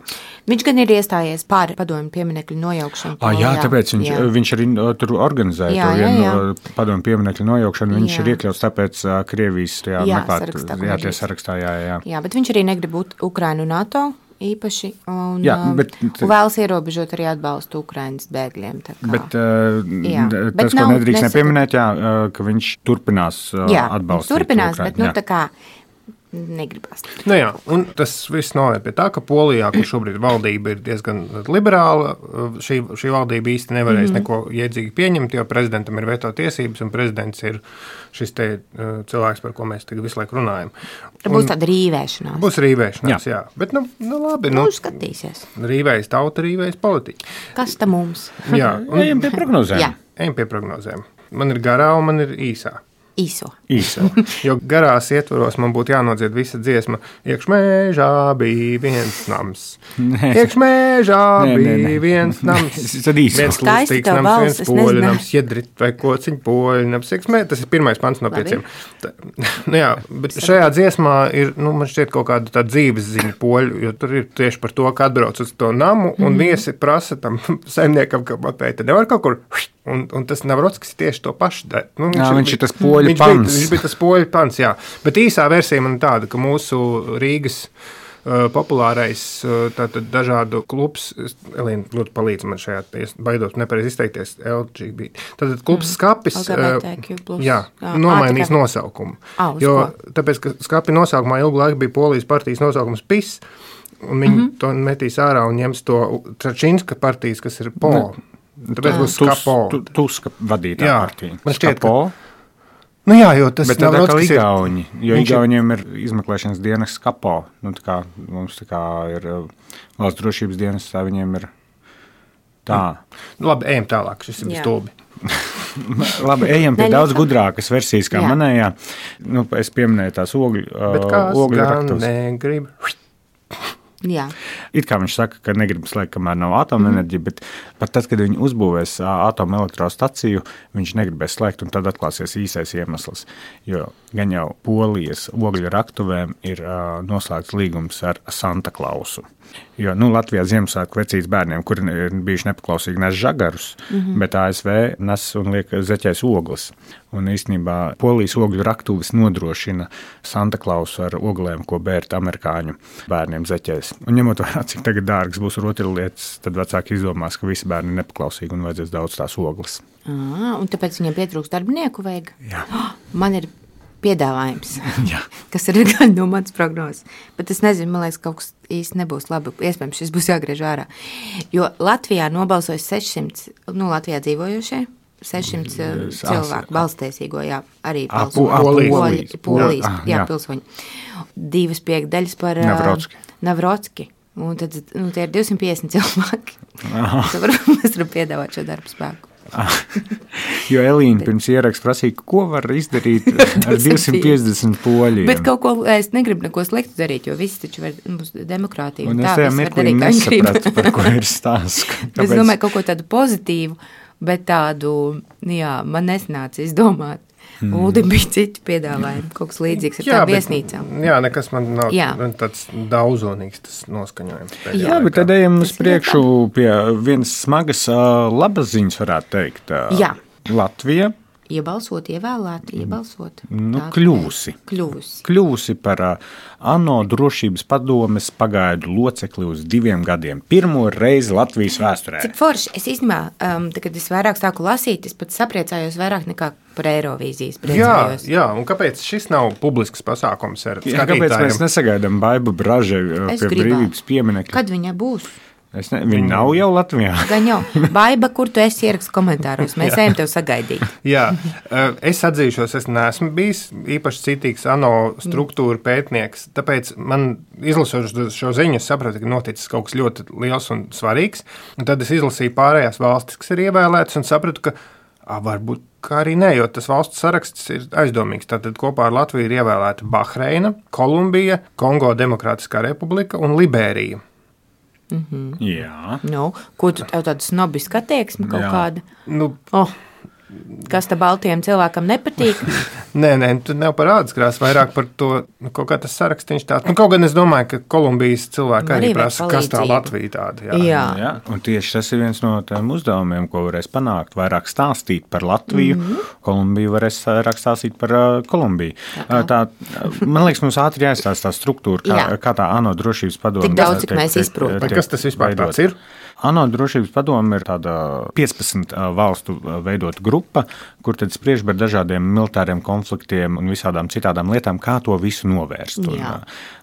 Viņš gan ir iestājies pār padomju pieminekļu nojaukšanu. Ah, jā, tāpēc viņš, jā. viņš arī tur organizēja jā, to vienu jā, jā. padomju pieminekļu nojaukšanu, viņš jā. ir iekļauts tāpēc Krievijas tajā jā, meklēt, sarakstā, jā, tie sarakstā, jā, jā. Jā, bet viņš arī negrib būt Ukrainu NATO īpaši, un, jā, bet, un vēlas ierobežot arī atbalstu Ukrainas bēgļiem. Tā kā. Bet, jā, tas, bet ko nedrīkst nesaka... nepieminēt, jā, ka viņš turpinās jā, atbalstīt turpinās, Ukrainu. Bet nu jā. tā kā negribas. Nu jā, un tas viss noved pie tā, ka Polijā, kur šobrīd valdība ir diezgan liberāla, šī, šī valdība īsti nevarēs mm-hmm. neko iedzīgi pieņemt, jo prezidentam ir veto tiesības, un prezidents ir šis te uh, cilvēks, par ko mēs tagad visu laiku runājam. Tā būs un, tāda rīvēšanās. Būs rīvēšanās, jā. jā. Bet, nu, nu labi. Nu, nu skatīsies. Rīvējas tauta, rīvējas politiķi. Kas ta mums? jā. Un, ejam pie prognozēm. jā. Ejam pie prognozēm. Man ir garā un man ir īsā. Īso. Īso. Jo garās ietvaros man būtu jānodzied visa dziesma. Iekšmēžā bija viens nams. Nē. Iekšmēžā nē, bija nē, nē. viens nams. Tad īso. Viens lustīgs nams, viens poļu nams, jedrit vai kociņu poļu nams. Iekšmē, tas ir pirmais pants no pieciem. Tā, nu jā, bet šajā dziesmā ir, nu, man šķiet kaut kāda tā dzīves ziņa poļu, jo tur ir tieši par to, ka atbrauc uz to namu un mm. viesi prasa tam saimniekam, ka pateikt, nevar kaut kur... Un, un tas Navrockis tieši to pašu dara. Nu, viņš, jā, viņš ir, ir tas poļu viņš pants. Bija, viņš bija tas poļu pants, jā. Bet īsā versija man ir tāda, ka mūsu Rīgas uh, populārais uh, tātad dažādu klubs, Elīna, lūdzu palīdz man šajā, baidot nepareiz izteikties, L G B T. Tātad klubs Skapis uh, jā, jā, nomainīs nosaukumu. Ah, jo, ko? tāpēc, ka Skapi nosaukumā ilgu laiku bija Polijas partijas nosaukums P I S, un viņi mm-hmm. to metīs ārā un ņems to Tračinska partijas, kas ir P O. Tāpēc būs Skapo. Tuska vadītā partija. Man šķiet, Skapo. Ka... Nu jā, jo tas bet tā kā Igauņi, jo Viņš Igauņiem ir izmeklēšanas dienas Skapo. Nu, tā kā mums tā kā ir valsts drošības dienas, tā viņiem ir tā. Nu, labi, ejam tālāk, šis ir stulbi. Labi, ejam pie daudz gudrākas versijas kā jā. manējā. Nu, es pieminēju tās ogļu bet kāds ogļu gan raktos. negrib... Jā. It kā viņš saka, ka negrib slēgt, kamēr nav atomenerģija, bet pat tad, kad viņi uzbūvēs atomelektrostaciju, viņš negribēs slēgt, un tad atklāsies īsais iemesls. Jo gan jau Polijas ogļu raktuvēm ir uh, noslēgts līgums ar Santa Klausu. Jo, nu, Latvijā Ziemassvētku vecīs bērniem, kuri ir bijuši nepaklausīgi, nes žagarus, mm-hmm. bet A S V nes un liek zeķēs ogles. Un īstenībā Polijas ogļu raktuves nodrošina Santa Klausu ar oglēm, ko bērt amerikāņu bērniem zeķēs. Un ņemot vērā, cik tagad dārgas būs rotaļlietas, tad vecāki izdomās, ka visi bērni ir nepaklausīgi un vajadzēs daudz tās ogles. À, un tāpēc viņiem pietrūks darbinieku vajag? Jā. Oh, man ir piedāvājums, Jā. kas ir gan no manas prognozes. Bet es nezinu, man liekas, kaut kas īsti nebūs labi. Iespējams, šis būs jāgriež ārā. Jo Latvijā nobalsojas sešsimt, nu, Latvijā dzīvojošie, sešsimt cilvēku balstiesīgo, jā, arī Polijas, Polijas, jā, pilsoņi. Divas piekdaļas par Navrocki. Navrocki. Un tad, nu, tie ir divsimt piecdesmit cilvēki. Tad varbūt mēs varam piedāvāt šo darbu spēku. Jo Elīna pirms ieraksta prasīja, ko var izdarīt ar divsimt piecdesmit poļiem. Bet kaut ko, es negribu neko sliktu darīt, jo visi taču var, mums demokrātija. Un es tajā mirklī nesapratu, par ko ir stāsts. Es domāju, kaut ko tādu pozitīvu, bet tādu, jā, man nesnāca izdomāt. Mm. Uldim bija citi piedāvājumi, kaut kas līdzīgs ar jā, tām viesnīcām. Jā, nekas man nav jā. tāds daudzonīgs tas noskaņojums. Jā, bet tad ejam uz priekšu pie vienas smagas labas ziņas, varētu teikt. Jā. Latvija. Iebalsot, ievēlēt, iebalsot. Nu, kļūsi. Kļūsi. Kļūsi par uh, ANO drošības padomes pagaidu locekli uz diviem gadiem. Pirmo reizi Latvijas vēsturē. Cik forši. Es īstenībā, um, kad es vairāk sāku lasīt, es pat sapriecājos vairāk nekā par Eirovīzijas priecājos. Jā, jā, un kāpēc šis nav publisks pasākums ar skatītājiem? Kāpēc mēs nesagaidām Baibu Bražai uh, pie brīvības pieminekļa? Kad viņa būs? Es ne, viņi nav jau Latvijā. Gan jau. Baiba, kur tu esi ierakst komentāros, mēs ejam tev sagaidīt. Jā, es atzīšos, es neesmu bijis īpaši citīgs ANO struktūra pētnieks, tāpēc man izlasot šo ziņu, es sapratu, ka noticis kaut kas ļoti liels un svarīgs, un tad es izlasīju pārējās valstis, kas ir ievēlētas, un sapratu, ka a, varbūt kā arī nē, jo tas valsts saraksts ir aizdomīgs. Tātad kopā ar Latviju ir ievēlēta Bahreina, Kolumbija, Kongo Demokrātiskā republika un Liberija. Mm-hmm. Jā. Nu, ko tu tev tādu snobisku attieksmi kaut Jā. kāda? Nu, Oh, kas te baltiem cilvēkam nepatīk? nē, nē, tu nav par ādskrās, vairāk par to, nu, kaut kā tas sarakstīns tāds. Nu, kaut gan es domāju, ka Kolumbijas cilvēki arī Arī vajag prasa, kas tā palīdzību. Latvija tāda. Jā. Jā. Jā, un tieši tas ir viens no tiem uzdevumiem, ko varēs panākt. Vairāk stāstīt par Latviju, mm-hmm. Kolumbiju varēs vairāk stāstīt par uh, Kolumbiju. Uh, tā, man liekas, mums ātri jāizstāsta tā struktūra, kā, Jā. kā tā ANO drošības padome. Tik daudz, cik mēs izprotam. Vai kas tas vispār tāds ir? ANO drošības padome ir tāda piecpadsmit valstu veidota grupa, kur tad spriež par dažādiem militāriem konfliktiem un visādām citādām lietām, kā to visu novērst. Un, Jā.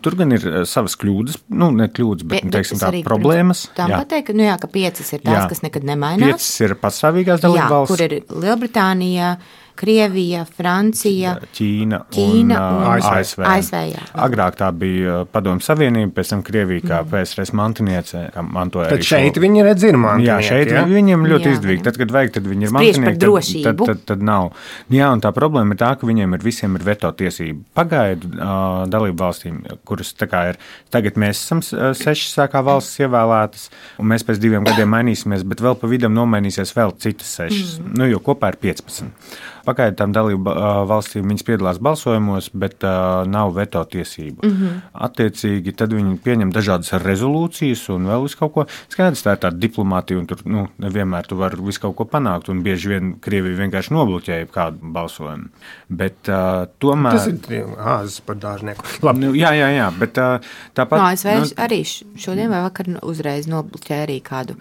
tur gan ir savas kļūdas, nu ne kļūdas, bet, Bet- bet bet teiksim, es tā arī problēmas. gribu Tam pateikt, ka, nu jā, ka piecas ir tās, Jā. kas nekad nemainās. Piecas ir pastāvīgās Jā, dalībvalstis. kur ir Lielbritānija, Krievija, Francija, Ķīna, Ķīna un, un uh, A S V. A S V, jā. Agrāk tā bija uh, Padomju Savienība, pēc tam Krievija kā P S R S mantiniece, kā mantoja Tad arī šeit šo- viņi redz ir mantinieki. Jā, šeit ja? viņiem ļoti Jā. izdevīgi. Tad, kad vajag, tad viņi ir Spriež par mantinieki. drošību. Tad, tad, tad, tad nav. Jā, un tā problēma ir tā, ka viņiem ir visiem ir veto tiesība. Pagaidu uh, dalību valstīm, kuras tā kā ir, tagad mēs esam uh, sešas sākā valstis ievēlētas, un mēs pēc diviem gadiem mainīsimies, bet vēl pa vidam nomainīsies vēl citas sešas. Mm. Nu, jo kopā ir piecpadsmit. Pagaidu tam dalību uh, valstīm viņas piedalās balsojumos, bet uh, nav veto tiesību. Mm -hmm. Attiecīgi, tad viņi pieņem dažādas rezolūcijas un vēl visu kaut ko. Skaidrs, tā ir tāda diplomātija, un tur nu, nevienmēr tu vari visu kaut ko panākt, un bieži vien Krievija vienkārši nobloķēja kādu balsojumu. Bet uh, tomēr... Tas ir āzes par dārznieku. Labi. Nu, jā, jā, jā, bet uh, tāpat... No, A S V nu, arī š- šodien vai vakar uzreiz nobloķēja arī kādu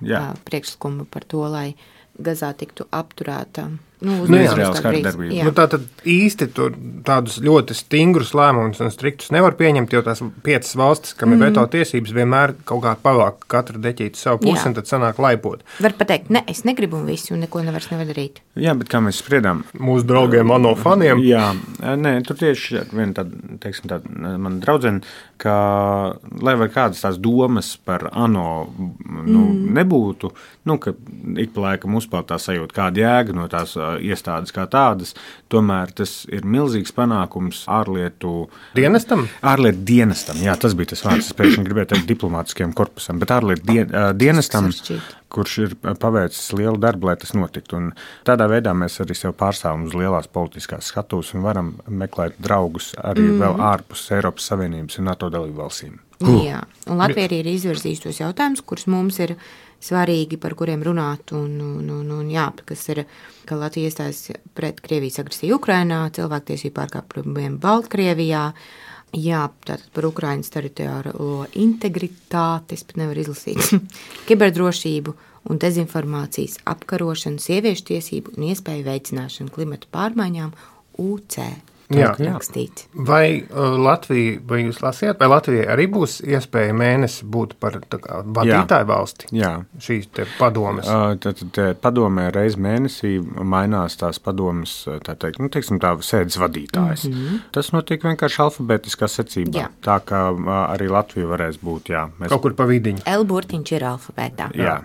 Jā. uh, priekšlikumu par to, lai Gazā tiktu apturēta. Nu, Nu, jā. uzņemšanas Izraels kā brīdis. kardarbība. Jā. Nu, tā tad īsti tur tādus ļoti stingrus lēmumus un striktus nevar pieņemt, jo tās piecas valstis, kam ir veto tiesības, vienmēr kaut kā pavāk katru deķīti savu pusi, Jā. un tad sanāk laipot. Var pateikt, ne, es negribu un visu, un neko nevairs nevar darīt. Jā, bet kā mēs spriedām, Mūsu draugiem, ANO faniem. Jā, nē, tur tieši viena tāda, teiksim, tāda mana draudzene, ka, lai vai kādas tās domas par ANO nu, mm. nebūtu, nu, ka ik pa laikam uzpeld tā sajūta, kāda jēga no tās uh, iestādes kā tādas, tomēr tas ir milzīgs panākums ārlietu Dienestam? Ārlietu dienestam, jā, tas bija tas vārds, es pēkšņi gribēju teikt diplomātiskajam korpusam, bet ārlietu dien, uh, dienestam, Sarežģīti. kurš ir paveicis lielu darbu, lai tas notiktu. Un tādā veidā mēs arī sev pārstāvam uz lielās politiskās skatuves un varam meklēt draugus arī mm. vēl ārpus Eiropas Savienības un NATO dalību valstīm. Jā, un Latvija arī ir izvirzījusi tos jautājumus, kurus mums ir svarīgi, par kuriem runāt, un, un, un, un jā, kas ir, ka Latvija iestājas pret Krievijas agresiju Ukrainā, cilvēktiesību pārkāpumiem Baltkrievijā, jā, tātad par Ukrainas teritoriālo integritāti, es pat nevaru izlasīt, kiberdrošību un dezinformācijas apkarošanu, sieviešu tiesību un iespēju veicināšanu klimatu pārmaiņām U C. Jā. Rakstīts. Vai uh, Latvija, vai jūs lasījāt, vai Latvijai arī būs iespēja mēnesi būt par tā kā vadītāju valsti? Jā. Šīs te padomes. Uh, Tad padomē reiz mēnesī mainās tās padomes, tā teikt, nu, teiksim tā, sēdes vadītājs. Mm-hmm. Tas notiek vienkārši alfabētiskā secībā. Jā. Tā kā uh, arī Latvija varēs būt, jā. Mēs, Kaut kur pa vidiņu, L burtiņš ir alfabētā. jā.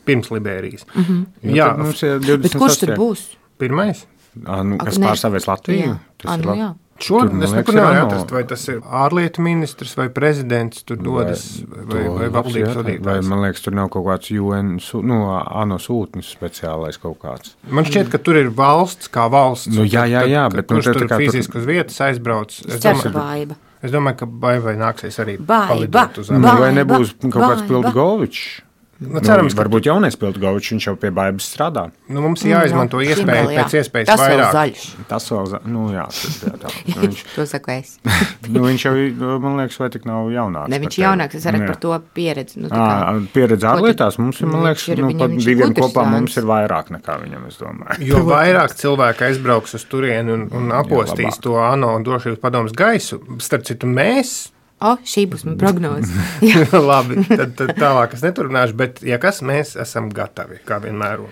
pirms Liberijas. Mhm. Jā, Tad mums ir Bet kurš tur būs? pirmais. Ā, nu, kas Ak, ne. pārstāvēs Latviju? Jā. Tas Ā, ir nu labi. jā. Šo Tur, man es liekas, nekur ir nevaru ANO. atrast, vai tas ir ārlietu ministrs vai prezidents tur dodas, vai, vai, vai valdības Vai, vadītājs. man liekas, tur nav kaut kāds U N, sū- nu, ANO sūtnis speciālais kaut kāds. Man šķiet, ka tur ir valsts kā valsts. Nu, jā, jā, jā, Tad, bet, nu, kurš tā- tur tā kā tur- fiziski uz vietas aizbrauc. Es Ceru domāju, baiba. es domāju, ka baivai nāksies arī Baiba, palidot uz Ba- Nu, Ameriku. vai nebūs ba- kaut kāds ba- Piltgovičs? Nu, cerams, nu, ka varbūt jaunais Piltgovičs, viņš jau pie baibas strādā. nu, mums ir jāizmanto Nu, iespēja Himmel, jā. pēc iespējas Tas vēl vairāk. zaļš. Tas vēl, za- nu jā, tad, jā, tā. Nu, viņš, To saku es. nu, viņš jau, man liekas, vai tik nav jaunāks. Ne, par viņš tevi. jaunāks, es arī Jā. par to pieredzi. Nu, tā kā- Ā, pieredze Ko tu- ārlietās mums ir, man Viņš liekas, ir- nu, viņam pat viņš ir diviem gudrs kopā zēns. mums ir vairāk nekā viņam, es domāju. Jo vairāk cilvēku aizbrauks uz turieni un, un apostīs labāk. to ANO drošības padomus gaisu, starp citu mēs, O, šī būs mana prognoze. labi, tad, tad tālāk es neturpināšu, bet ja kas, mēs esam gatavi, kā vienmēr.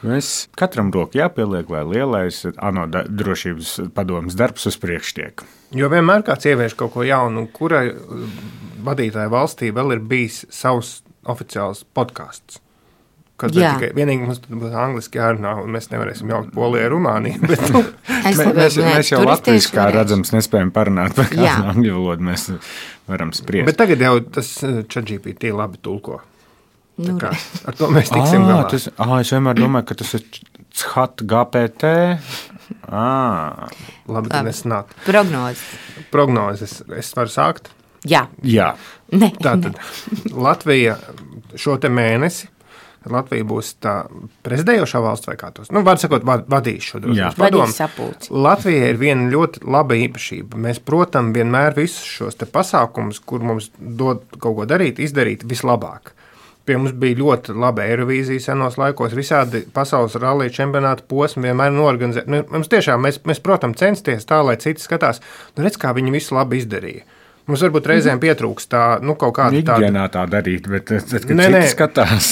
Mēs katram roku jāpieliek, lai lielais ANO da- drošības padomas darbs uz priekšu tiek. Jo vienmēr kāds ievieš kaut ko jaunu, un kurai uh, vadītāja valstī vēl ir bijis savs oficiāls podkāsts. Kad tikai, vienīgi mums būs angliski jārunā, un mēs nevarēsim jaukt Poliju ar Rumāniju. Bet, nu. mēs, mēs, mēs jau latviešu, kā redzams, nespējam parunāt par kādu angļu valodu, mēs varam spriest. Bet tagad jau tas ChatGPT labi tulko. Tā kā, ar to mēs tiksim à, galā. Tas, à, es vienmēr domāju, ka tas ir chat G P T. À. Labi, ka nesanāk. Prognozes. Prognozes. Es varu sākt? Jā. Jā. Ne, Tātad ne. Latvija šo te mēnesi, Latvija būs tā prezidējošā valsts vai kā tos, nu, var sakot, vadīs šo drošības padomu. Vadīs sapulci. Latvija ir viena ļoti laba īpašība. Mēs, protams, vienmēr visus šos te pasākumus, kur mums dod kaut ko darīt, izdarīt vislabāk. Pie mums bija ļoti laba Eirovīzija senos laikos, visādi pasaules rallija čempionāta posmi vienmēr norganizē. Mums tiešām, mēs, mēs protams, censties tā, lai citi skatās, nu redz, kā viņi visu labi izdarīja. Mums varbūt reizēm pietrūkst tā, nu, kaut kāda tāda... Ikdienā tā darīt, bet tad, kad Nē, citi nē. skatās.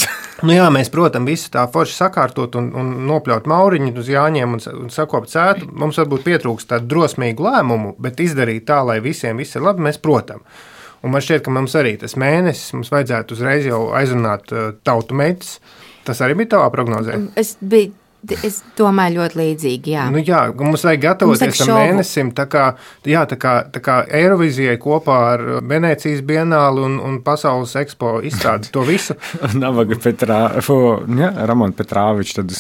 Nu jā, mēs, protams, visu tā forši sakārtot un, un nopļaut mauriņu uz jāņiem un, un sakopt cētu. Mums varbūt pietrūkst tādu drosmīgu lēmumu, bet izdarīt tā, lai visiem viss ir labi, mēs, protams. Un man šķiet, ka mums arī tas mēnesis, mums vajadzētu uzreiz jau aizrunāt uh, tautu meitas. Tas arī bija tavā prognozē? Es biju, es domāju ļoti līdzīgi, jā. Nu jā, mums vajag gatavoties tam mēnesim, tā kā, jā, tā kā, tā kā Eirovizijai kopā ar Venēcijas bienāli un, un Pasaules ekspo izstādi to visu. Navaga Petrā, fo, ja, Ramon Petrāvičs, tad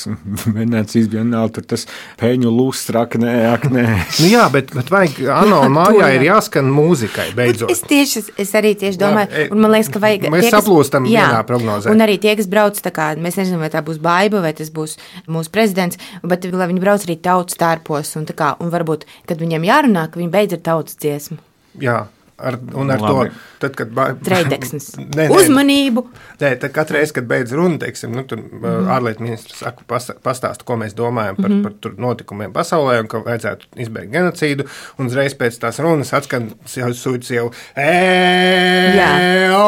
Venēcijas bienāli, tur tas peņu lustra, aknē, aknē. Nu jā, bet, bet vajag, Ano, mājā ir jāskan mūzikai, beidzot. Es tieši, es arī tieši domāju, Jā, un man liekas, ka vajag... Mēs tie, kas, saplūstam jā, vienā prognozē. Un arī tie, kas brauc, tā kā, mēs nezinām, vai tā būs Baiba, vai tas būs mūsu prezidents, bet lai viņi brauc arī tautas tārpos, un tā kā, un varbūt, kad viņiem jārunā, ka viņi beidz ar tautas dziesmu. Jā. Ar, un ar Labi. to, tad, kad ba... Treideksnis. Nē, nē. Uzmanību. Nē, tad katru reizi, kad beidz runu, teiksim, nu, tur mm. ārlietu ministrs saka, pastāsta, ko mēs domājam par, mm. par tur notikumiem pasaulē un ka vajadzētu izbeigt genocīdu, un uzreiz pēc tās runas atskan jau sūdz jau e-o.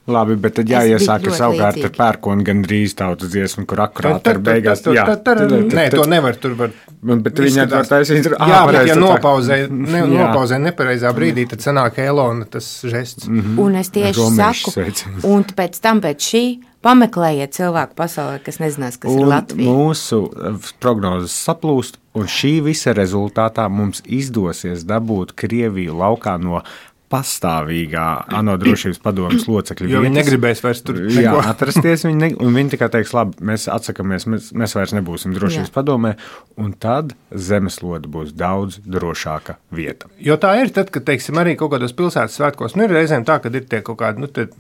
Labi, bet tad jāiesāk savukārt ar pērkonu gandrīz tautas dziesmu, kur akurāt ar beigās. Jā, nē, to nevar, tur var. Bet viņi var taisīt. Jā, bet ja nopauzē, ne, nopauzē nepareizā brīdī, tad sanāk Elona tas žests. Mm-hmm. Un es tieši saku, un pēc tam pēc šī pameklējiet cilvēku pasaulē, kas nezinās, kas un ir Latvija. Mūsu prognozes saplūst, un šī visa rezultātā mums izdosies dabūt Krieviju laukā no pastāvīgā ANO drošības padomes locekļu. Jo viņi negribēs vairs tur neko. Jā, atrasties, viņi ne, un viņi tikai teiks, labi, mēs atsakamies, mēs, mēs vairs nebūsim drošības jā. Padomē, un tad zemeslode būs daudz drošāka vieta. Jo tā ir tad, kad, teiksim, arī kaut kādos pilsētas svētkos, nu ir reizēm tā, kad ir tie kaut kādi, nu, tie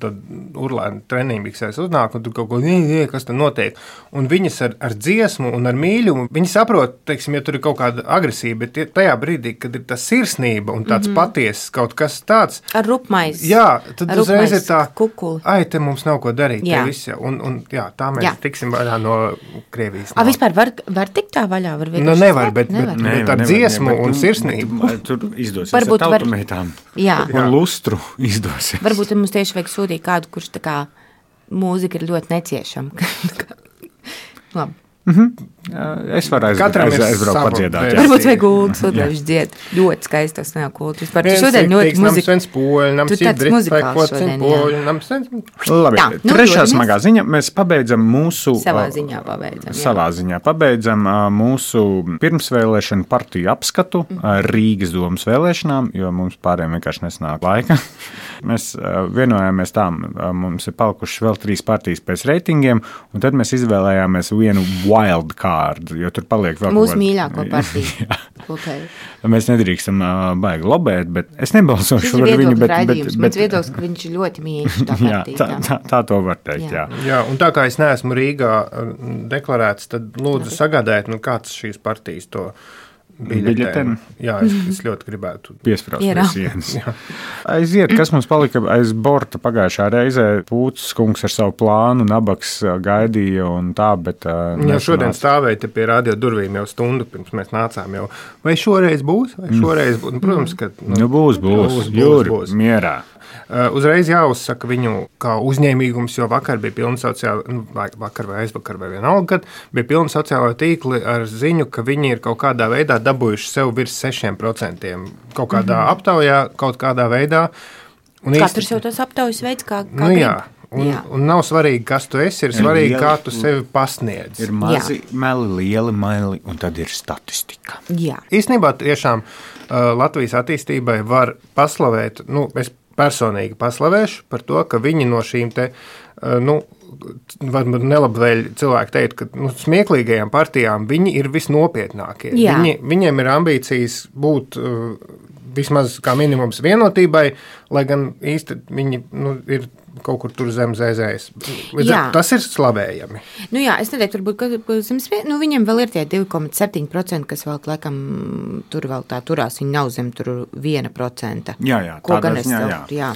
urlēni treniņbiksēs uznāk, un tur kaut ko, kas tad notiek, un viņas ar, ar dziesmu un ar mīļumu, viņi saprot, teiksim, ja tur ir kaut kāda agresīva, bet tajā brīdī, kad ir tā sirsnība un tāds mm-hmm. patiesas kaut kas tā, tāds. Ar rupmais. Jā, tad uzreiz ir tā, kukuli. Ai, te mums nav ko darīt. Jā. Viss, un, un jā, tā mēs jā. tiksim vaļā no Krievijas. A, vispār var, var tikt tā vaļā? Var nu, nevar, bet, nevar. bet, bet ar dziesmu nevar, un sirsnību. Tur izdosies varbūt ar tautumeitām. Jā. Un lustru izdosies. Varbūt mums tieši vajag sūtīt kādu, kurš tā kā mūzika ir ļoti neciešama. Labi. Mm-hmm. Es varu aiz, aiz, aizbraukt padziedāt. Varbūt vajag gultas, un viņš dzied ļoti skaistas neokultus. Par tu šodien ļoti muzika. Tu tāds muzikāls šodien, jā. Labi, tā, nu, trešā smagā ziņa. Mēs pabeidzam mūsu... Savā ziņā pabeidzam. Jā. Savā ziņā pabeidzam mūsu pirmsvēlēšanu partiju apskatu Rīgas domas vēlēšanām, jo mums pārējiem vienkārši nesanāk laika. Mēs vienojāmies tā, mums ir palikušas vēl trīs partijas pēc reitingiem, un tad mēs izvēlējāmies vienu wild card, jo tur paliek vēl mūsu mīļāko partiju. Okay. Mēs nedrīkstam uh, baigi lobēt, bet es nebalsošu par viņu. Bet, bet, bet, Mans viedoklis, ka viņš ir ļoti mīļš tā partija. Jā, tā, tā, tā to var teikt, jā. jā. Jā, un tā kā es neesmu Rīgā deklarēts, tad lūdzu sagādājiet, nu kāds šīs partijas to biļetēm. Jā, es, es ļoti gribētu piesprāst pie sienas. Aiziet, kas mums palika aiz borta pagājušā reizē, Pūcis kungs ar savu plānu, Nabaks gaidīja un tā, bet... Jā, šodien stāvēja te pie radio durvīm jau stundu, pirms mēs nācām jau. Vai šoreiz būs? Vai šoreiz būs? Nu, protams, ka... Nu, nu būs, būs, būs, Jūri, būs. Mierā. Uh, uzreiz jāuzsaka viņu kā uzņēmīgums, jo vakar bija pilna sociāla, nu, vakar vai aizvakar vai vienalga, kad bija pilna sociālā tīkli ar ziņu, ka viņi ir kaut kādā veidā dabūjuši sev virs sešiem procentiem. Kaut kādā mm-hmm. aptaujā, kaut kādā veidā. Un Katrs īsti, jau tos aptaujas veids, kā, kā nu, jā, Un, un nav svarīgi, kas tu esi, ir svarīgi, lieli, kā tu sevi pasniedz. Ir mazi Jā. meli, lieli meli, un tad ir statistika. Jā. Īstenībā tiešām uh, Latvijas attīstībai var paslavēt, nu, es personīgi paslavēšu par to, ka viņi no šīm te, uh, nu, varbūt nelabvēļ cilvēki teikt, ka nu, smieklīgajām partijām viņi ir visnopietnākie. Viņi, viņiem ir ambīcijas būt uh, vismaz kā minimums vienotībai, lai gan īsti viņi nu, ir kaut kur tur zem zēzējas. Tas ir slavējami. Nu jā, es neteiktu, varbūt, ka, ka zem nu, viņiem vēl ir tie divi komats septiņi procenti, kas vēl, laikam, tur vēl tā turās, viņi nav zem tur viena procenta. Jā, jā, ko gan es jā, tev, jā. jā.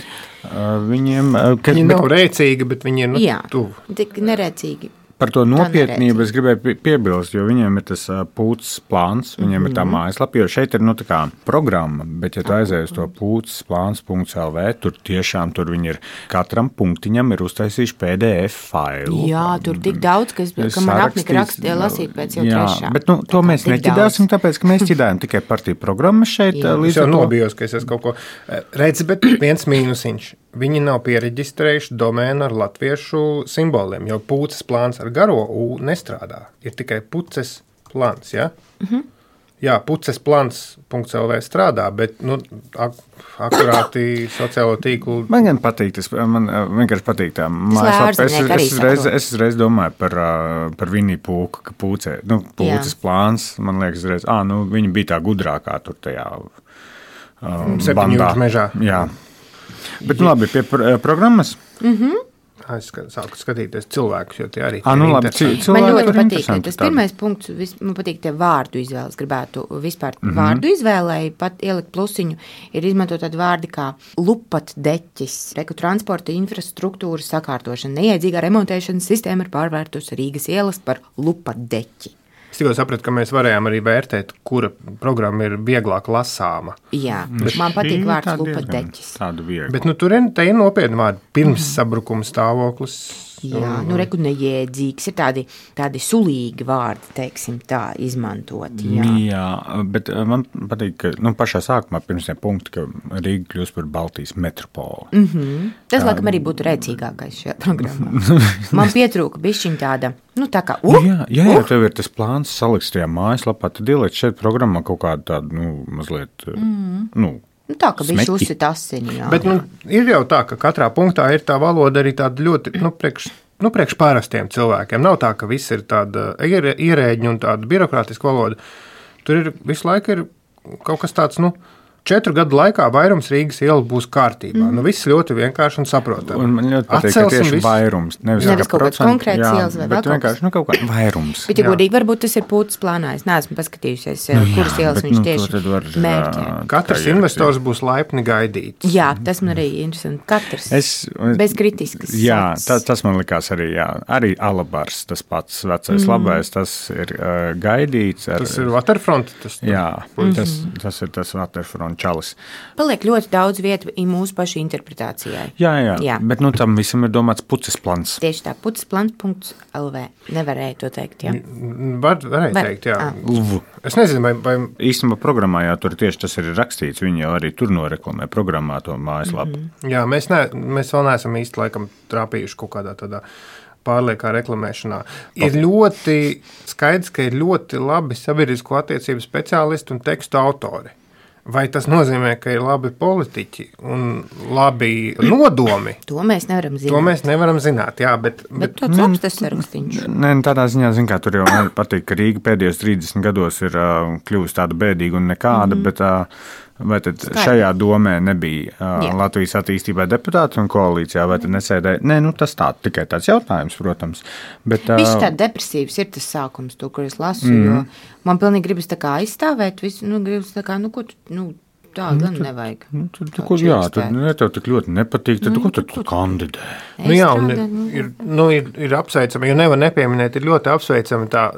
Uh, viņiem, uh, ka, viņi bet, nav rēcīgi, bet viņi ir nu, jā, tuvu. Tik nerēcīgi. Par to nopietnību es gribēju piebilst, jo viņiem ir tas pūces plāns, viņiem mm-hmm. ir tā mājaslapa, jo šeit ir nu, tā kā programma, bet ja tu aizēji uz to pūces plāns punkts el vē, tur tiešām tur viņi ir, katram punktiņam ir uztaisījuši P D F failu. Jā, tur tik daudz, kas, ka man apnika rakstīja lasīt pēc jau jā, trešā. Bet nu, to mēs neķidāsim, tāpēc, ka mēs ķidājam tikai partiju programmas šeit. Es jau nobijos, ka es esmu kaut ko redzi, bet viens mīnusiņš. Viņi nav piereģistrējuši domēnu ar latviešu simboliem, jo pūces plāns ar garo U nestrādā. Ir tikai puces plāns, ja? Mm-hmm. Jā, puces plāns punkts el vē strādā, bet nu, ak- akurāti sociālo tīklu. Man gan patīk, tas man vienkārši patīk tā mājaslapa. Es, es, es, reiz, es reiz domāju par, par Viniju Pūku, ka pūcē, nu, pūces Jā. Plāns, man liekas, reiz, ā, nu, viņa bija tā gudrākā tur tajā um, Septiņu jūtu mežā. Jā. Bet nu labi, pie pr- programmas. Mhm. Es sāku skatīties cilvēkus, jo tie arī ah, nu, labi, cilvēki. Man ļoti patīk, tas pirmais punkts, vis, man patīk tie vārdu izvēles, gribētu vispār mm-hmm. vārdu izvēlēji, pat ielikt plusiņu, ir izmantot tādu vārdi kā lupatdeķis, reku transporta infrastruktūras sakārtošana, neiedzīgā remontēšanas sistēma ir pārvērtus Rīgas ielas par lupatdeķi. Es tikko sapratu, ka mēs varējām arī vērtēt, kura programma ir vieglāk lasāma. Jā, bet man patīk vārds lupatdeķis. Tādu vieglu. Bet nu, tur ir, te ir nopietni vārdi. Pirms mm. sabrukuma stāvoklis. Jā, nu reku neiedzīgs. Ir tādi, tādi sulīgi vārdi, teiksim tā, izmantoti. Jā, jā bet man patīk, ka nu, pašā sākumā pirms tie punkti, ka Rīga kļūst par Baltijas metropoli. Mm-hmm. Tas, tā, laikam, arī būtu rēcīgākais šajā programmā. Man pietrūka bišķiņ tāda, nu tā kā, uh, jā, jā, ja uh. tev ir tas plāns saliks tajā mājaslapā, tad ieliec šeit programmā kaut kādu tādu, nu, mazliet, mm. nu, Nu, tā, ka viņš uzsit asini, jā. Bet nu, ir jau tā, ka katrā punktā ir tā valoda arī tāda ļoti, nu, priekš, nu, priekš pārastiem cilvēkiem. Nav tā, ka viss ir tāda ierēģņa un tāda birokrātiska valoda. Tur ir visu laiku ir kaut kas tāds, nu, četru gadu laikā vairums Rīgas ielu būs kārtībā. Mm. Nu, viss ļoti vienkārši un saprotami. Un man ļoti patīk, ka tieši visu... vairums. Nevis, nevis kaut kāds konkrēts ielas vai vēl kaut vienkārši, nu, kaut kā vairums. Bet, ja godīgi, varbūt tas ir pūtas plānā. Es neesmu paskatījusies, nu, jā, kuras ielas viņš nu, tieši mērķē. Katrs investors būs laipni gaidīts. Jā, tas man arī interesanti. Katrs. Es, bez kritiskas. Jā, tā, tas man likās arī, jā. Arī Alabars, tas pats vecais mm. labais, tas ir uh, gaidīts. Ar, tas ir Waterfront. Tas, jā, mm-hmm. tas, tas ir tas Waterfront. Čalis. Paliek ļoti daudz vietu mūsu pašu interpretācijai. Jā, jā, jā. Bet nu, tam visam ir domāts puces plans. Tieši tā, puces plans punkts el vē. Nevarēja to teikt, jā. Var, varēja Var. teikt, jā. Ah. Es nezinu, vai... vai... Īstenībā programmā, jā, tur tieši tas ir rakstīts. Viņi jau arī tur noreklamē programmā to mājaslapu. Mm-hmm. Jā, mēs, ne, mēs vēl neesam īsti laikam trāpījuši kaut kādā tādā pārliekā reklamēšanā. Ir ļoti skaidrs, ka ir ļoti labi sabiedrisko attiecību speciālisti un tekstu autori. Vai tas nozīmē, ka ir labi politiķi un labi nodomi? To mēs nevaram zināt. To mēs nevaram zināt, jā, bet... Bet, bet tāds labs tas sarakstīņš. Nē, tādā ziņā, zin kā, tur jau patīk, ka Rīga pēdējos trīsdesmit gados ir uh, kļuvusi tāda bēdīga un nekāda, mm-hmm. bet... Uh, Vai tad Skaidri. Šajā domē nebija uh, Latvijas attīstībai deputāti un koalīcijā, vai tad nesēdēja? Nē, nu tas tā, tikai tāds jautājums, protams. Bet, uh, Viņš tā depresīvs ir tas sākums, to, kur es lasu, mm. jo man pilnīgi gribas tā kā aizstāvēt visu, nu, gribas tā kā, nu, ko tu, nu, tā nu, gan tad, nevajag. Nu, tad, tad, ko, jā, tad, ja tev tik ļoti nepatīk, tad nu, ko tad tu kandidē? Nu, jā, un ir, nu, ir, ir apsveicami, jo nevar nepieminēt, ir ļoti apsveicami tā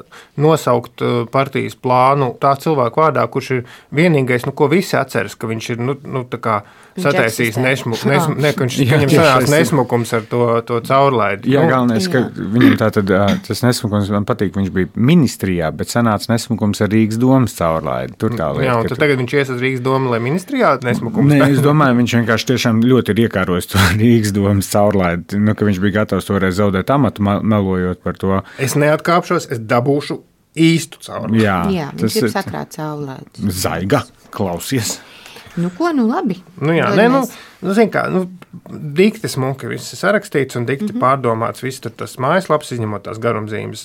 nosaukt partijas plānu tā cilvēku vārdā, kurš ir vienīgais, nu, ko visi atceras, ka viņš ir, nu, nu tā kā sataisījis nesmukums, nesmu, ne, ka viņš viņam sanās nesmukums ar to, to caurlaidi. Jā, nu, galvenais, ka viņam tā tad, tas nesmukums, man patīk, viņš bija ministrijā, bet sanāca nesmukums ar Rīgas domas caurlaidi. Tur tā lieta. Jā, un tad tu... tagad viņš ies uz Rīgas domu, lai ministrijā nesmukums? Nē, es domāju, viņš vienkārši tiešām ļoti ir iekārojis to Rīgas domas caurlaidi, nu, ka viņš bija gatavs toreiz zaudēt amatu, melojot par to. Es neatkāpšos, es dabūšu īstu caurlaidi. Jā, Jā, viņš ir sakrāt caurlaidi. Zaiga, klausies. Nu, ko, nu labi. Nu jā, nē, nu, nu, zin kā, nu, dikti smuki viss ir sarakstīts un dikti mm-hmm. pārdomāts, viss tur tas mājaslaps, izņemot tās garumzīmes.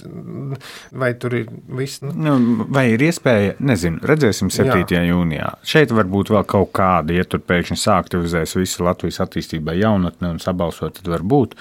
Vai tur ir viss? Nu? Nu, vai ir iespēja, nezinu, redzēsim septītajā jūnijā. Šeit varbūt vēl kaut kāda, ja tur pēkšņi sāktivizēs visu Latvijas attīstībai jaunatni un sabalsot, tad var būt,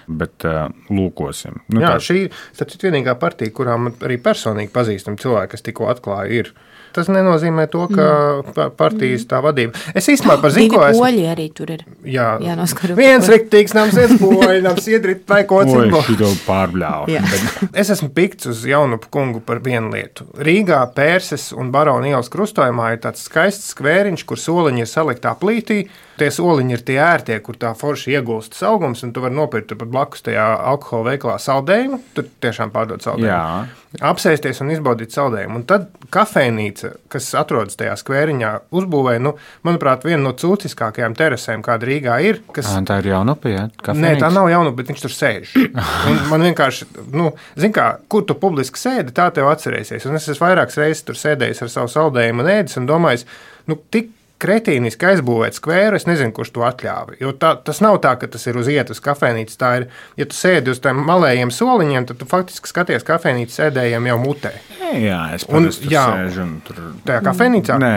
bet uh, lūkosim. Nu, jā, tā... šī ir vienīgā partija, kurām arī personīgi pazīstam cilvēki, kas tikko atklāja ir. Tas nenozīmē to, ka mm. partijas tā vadība. Es īstenībā par zinu, ko esmu. Poļi arī tur ir. Jā, jānoskaro. Viens riktīgs nams iet poļi, nams iedrit vai ko citu. Oi, šito pārbļāvu. Bet es esmu pikts uz Jaunupu kungu par vienu lietu. Rīgā, Pērses un Barona ielas krustojumā ir tāds skaists skvēriņš, kur soliņi ir saliktā plītī. Tie soliņi ir tie ērtie, kur tā forši iegulstas augums, un tu vari nopirkt pat blakus tajā alkohola veikalā saldējumu. Tur tiešām pārdod saldējumu. Jā. Apsēsties un izbaudīt saldējumu. Un tad kafejnīca, kas atrodas tajā skvēriņā, uzbūvēja, nu, manuprāt, vienu no cūciskākajām terasēm, kāda Rīgā ir. Kas... À, tā ir Jaunupa, jā? Nē, tā nav Jaunupa, bet viņš tur sēž. Un man vienkārši, nu, zin kā, kur tu publiski sēdi, tā tev atcerēsies. Un es esmu vairākas reizes tur sēdējis ar savu saldējumu un ēdis un domājis, nu, tik kretīniski aizbūvēt skvēru, es nezinu, kurš to atļāva. Jo tā, tas nav tā, ka tas ir uz ietas kafejnīcas. Tā ir, ja tu sēdi uz tiem malējiem soliņiem, tad tu faktiski skaties kafejnīcas sēdējiem jau mutē. Jā, es parasti tur sēžu un tur... Tajā kafejnīcā? Nē,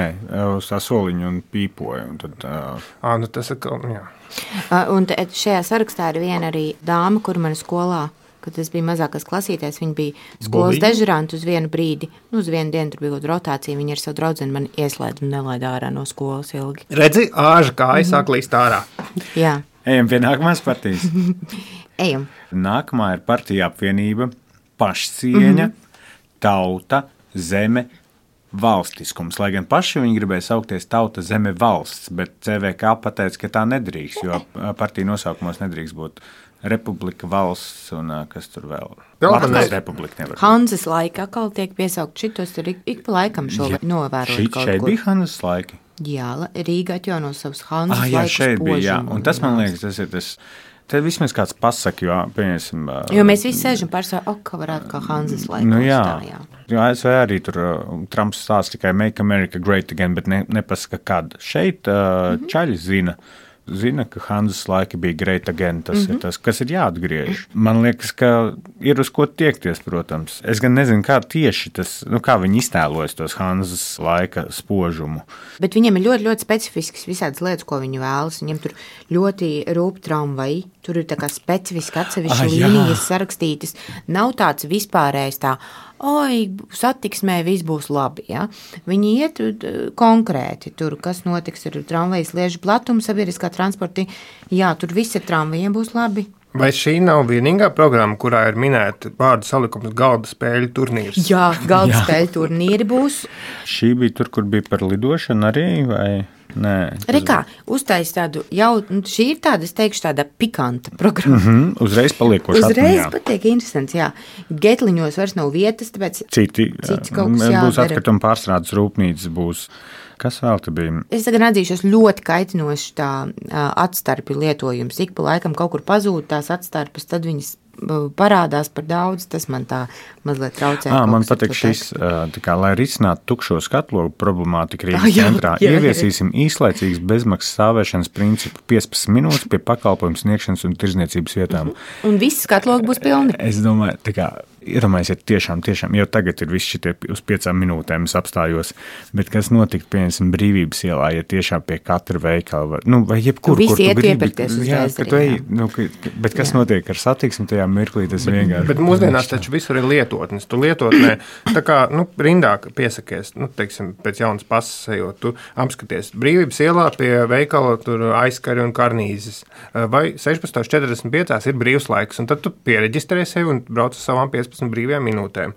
uz tā soliņu un pīpoju. Un tad, uh... à, nu tas ir, jā. Un šajā sarakstā ir viena arī dāma, kur man skolā, kad es biju mazākās klasītēs, viņa bija skolas Bolī. dežuranta uz vienu brīdi. Nu, uz vienu dienu tur bija rotācija, viņa ar savu draudzeni man ieslēdz un nelaid ārā no skolas ilgi. Redzi, āža kāja mm-hmm. sāk līst ārā. Jā. Ejam pie nākamās partijas. Ejam. Nākamā ir partija apvienība, pašcieņa, mm-hmm. tauta, zeme, valstiskums. Lai gan paši viņi gribēja saukties tauta, zeme, valsts, bet C V K pateica, ka tā nedrīkst, jo partija nosaukumos nedrīkst būt republika, valsts un kas tur vēl. Latvijas republika nevar. Hanzas laika atkal tiek piesaukt šitos, tur ik, ik pa laikam šo ja, novērot šit, kaut šeit kur. Bija Hanzas laiki? Jā, Rīga atjauno savus Hanzas ah, jā, laikus šeit bija, jā. Un tas, man liekas, tas ir tas, te vismaz kāds pasaka, jo, pieņemsim... Jo mēs visi sēžam pārsvarā, ok, ka varētu kā Hanzas laikos. Nu jā, tā, jā. Jo A S V arī tur uh, Trumps stāsta tikai Make America Great Again, bet ne, nepasaka, kad. Šeit uh, mm-hmm. čaļi zina, zina, ka Hanzas laiki bija great again, tas mm-hmm. ir tas, kas ir jāatgriež. Man liekas, ka ir uz ko tiekties, protams. Es gan nezinu, kā tieši tas, nu kā viņi iztēlojas tos Hanzas laika spožumu. Bet viņiem ir ļoti, ļoti specifisks visādas lietas, ko viņi vēlas. Viņiem tur ļoti rūp tramvaji, tur ir tā kā specifiski atsevišķi ah, līnijas sarakstītas. Nav tāds vispārējs tā, oi, satiksmē viss būs labi, ja? Viņi iet konkrēti tur, kas notiks ar tramvajas liežu platumu, sabiedriskā transporta, jā, tur visi tramvajiem būs labi. Vai šī nav vienīgā programma, kurā ir minēta vārdu salikums galda spēļu turnīrs? Jā, galda spēļu turnīri būs. Šī bija tur, kur bija par lidošanu arī, vai... Nē. Rekā, uztais tādu jau, šī ir tāda, es teikšu, tāda pikanta programma. Mm-hmm, uzreiz paliekoši atmiņā. Uzreiz patiek interesants, jā. Getliņos vairs nav vietas, tāpēc citi, cits kaut kas jādara. Būs atkrituma pārstrādes rūpnīcas, būs, kas vēl te bija? Es tagad atzīšos ļoti kaitinoši tā atstarpi lietojums. Ik pa laikam kaut kur pazūd tās atstarpes, tad viņas parādās par daudz, tas man tā mazliet traucē. À, man patīk šis, tā kā, lai risinātu tukšo skatlogu problemātiku Rīgas centrā, jā, jā, ieviesīsim īslaicīgas bezmaksas stāvēšanas principu piecpadsmit minūtes pie pakalpojumu sniegšanas un tirdzniecības vietām. Un visi skatlogi būs pilni. Es domāju, tā kā, iedomājies, tiešām, tiešām, jau tagad ir viss šitie uz piecām minūtēm es apstājos, bet kas notikt, pieņemsim, Brīvības ielā, ja tiešām pie katra veikala, var, nu, vai jebkur, kur tu gribi. Iepirkties Jā, ka tu ej, nu, bet kas jā. Notiek ar satiksmi tajā mirklī, tas bet, vienkārši. Bet mūsdienās taču visur ir lietotnes. Tu lietotnē, tā kā, nu, rindā piesakies, nu, teiksim, pēc jaunas pasas ejot, tu apskaties Brīvības ielā pie veikala tur aizkari un karnīzes, vai sešpadsmit četrdesmit pieci ir brīvs laiks, un tad tu piereģistrē sevi un brauc uz savām piecpadsmit brīvajām minūtēm.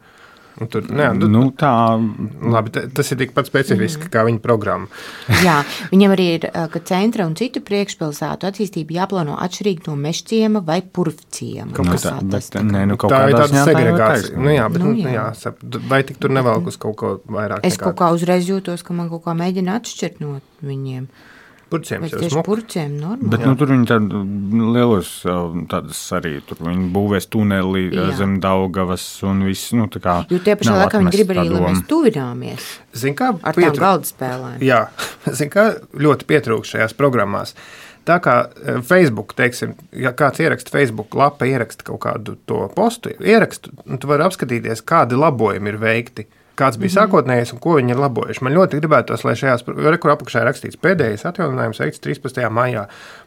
Tur, ne, tu, nu, tā... Labi, tas ir tikpat specifiski mm. kā viņa programma. Jā, viņam arī ir, ka centra un citu priekšpilsētu attīstība jāplāno atšķirīgi no mežciema vai purvciema. Nu, tā, bet, nē, nu, tā ir tāda segregācija. Tā nu, jā, bet, nu, jā. Jā, vai tik tur nevelk uz kaut ko vairāk? Es nekā... kaut kā uzreiz jūtos, ka man kaut kā mēģina atšķirt no viņiem. Purciem jau smuk. Purciem normāli. Bet nu, tur viņi tādu lielos tādas arī, tur viņi būvēs tuneli jā. Zem Daugavas un viss, nu tā kā. Jo tie pašā laikā viņi grib arī, lai mēs tuvināmies. Zin kā? Ar Pietru... tām galda spēlēm. Jā, zin kā ļoti pietrūkst šajās programmās. Tā kā Facebook, teiksim, ja kāds ieraksta Facebook lapa, ieraksta kaut kādu to postu, ierakstu, un tu vari apskatīties, kādi labojumi ir veikti. Kāds bija mm-hmm. sākotnējais un ko viņi ir labojuši. Man ļoti gribētos, lai šajās, kur apakšā ir rakstīts pēdējais atjauninājums veikts trīspadsmitajā maijā.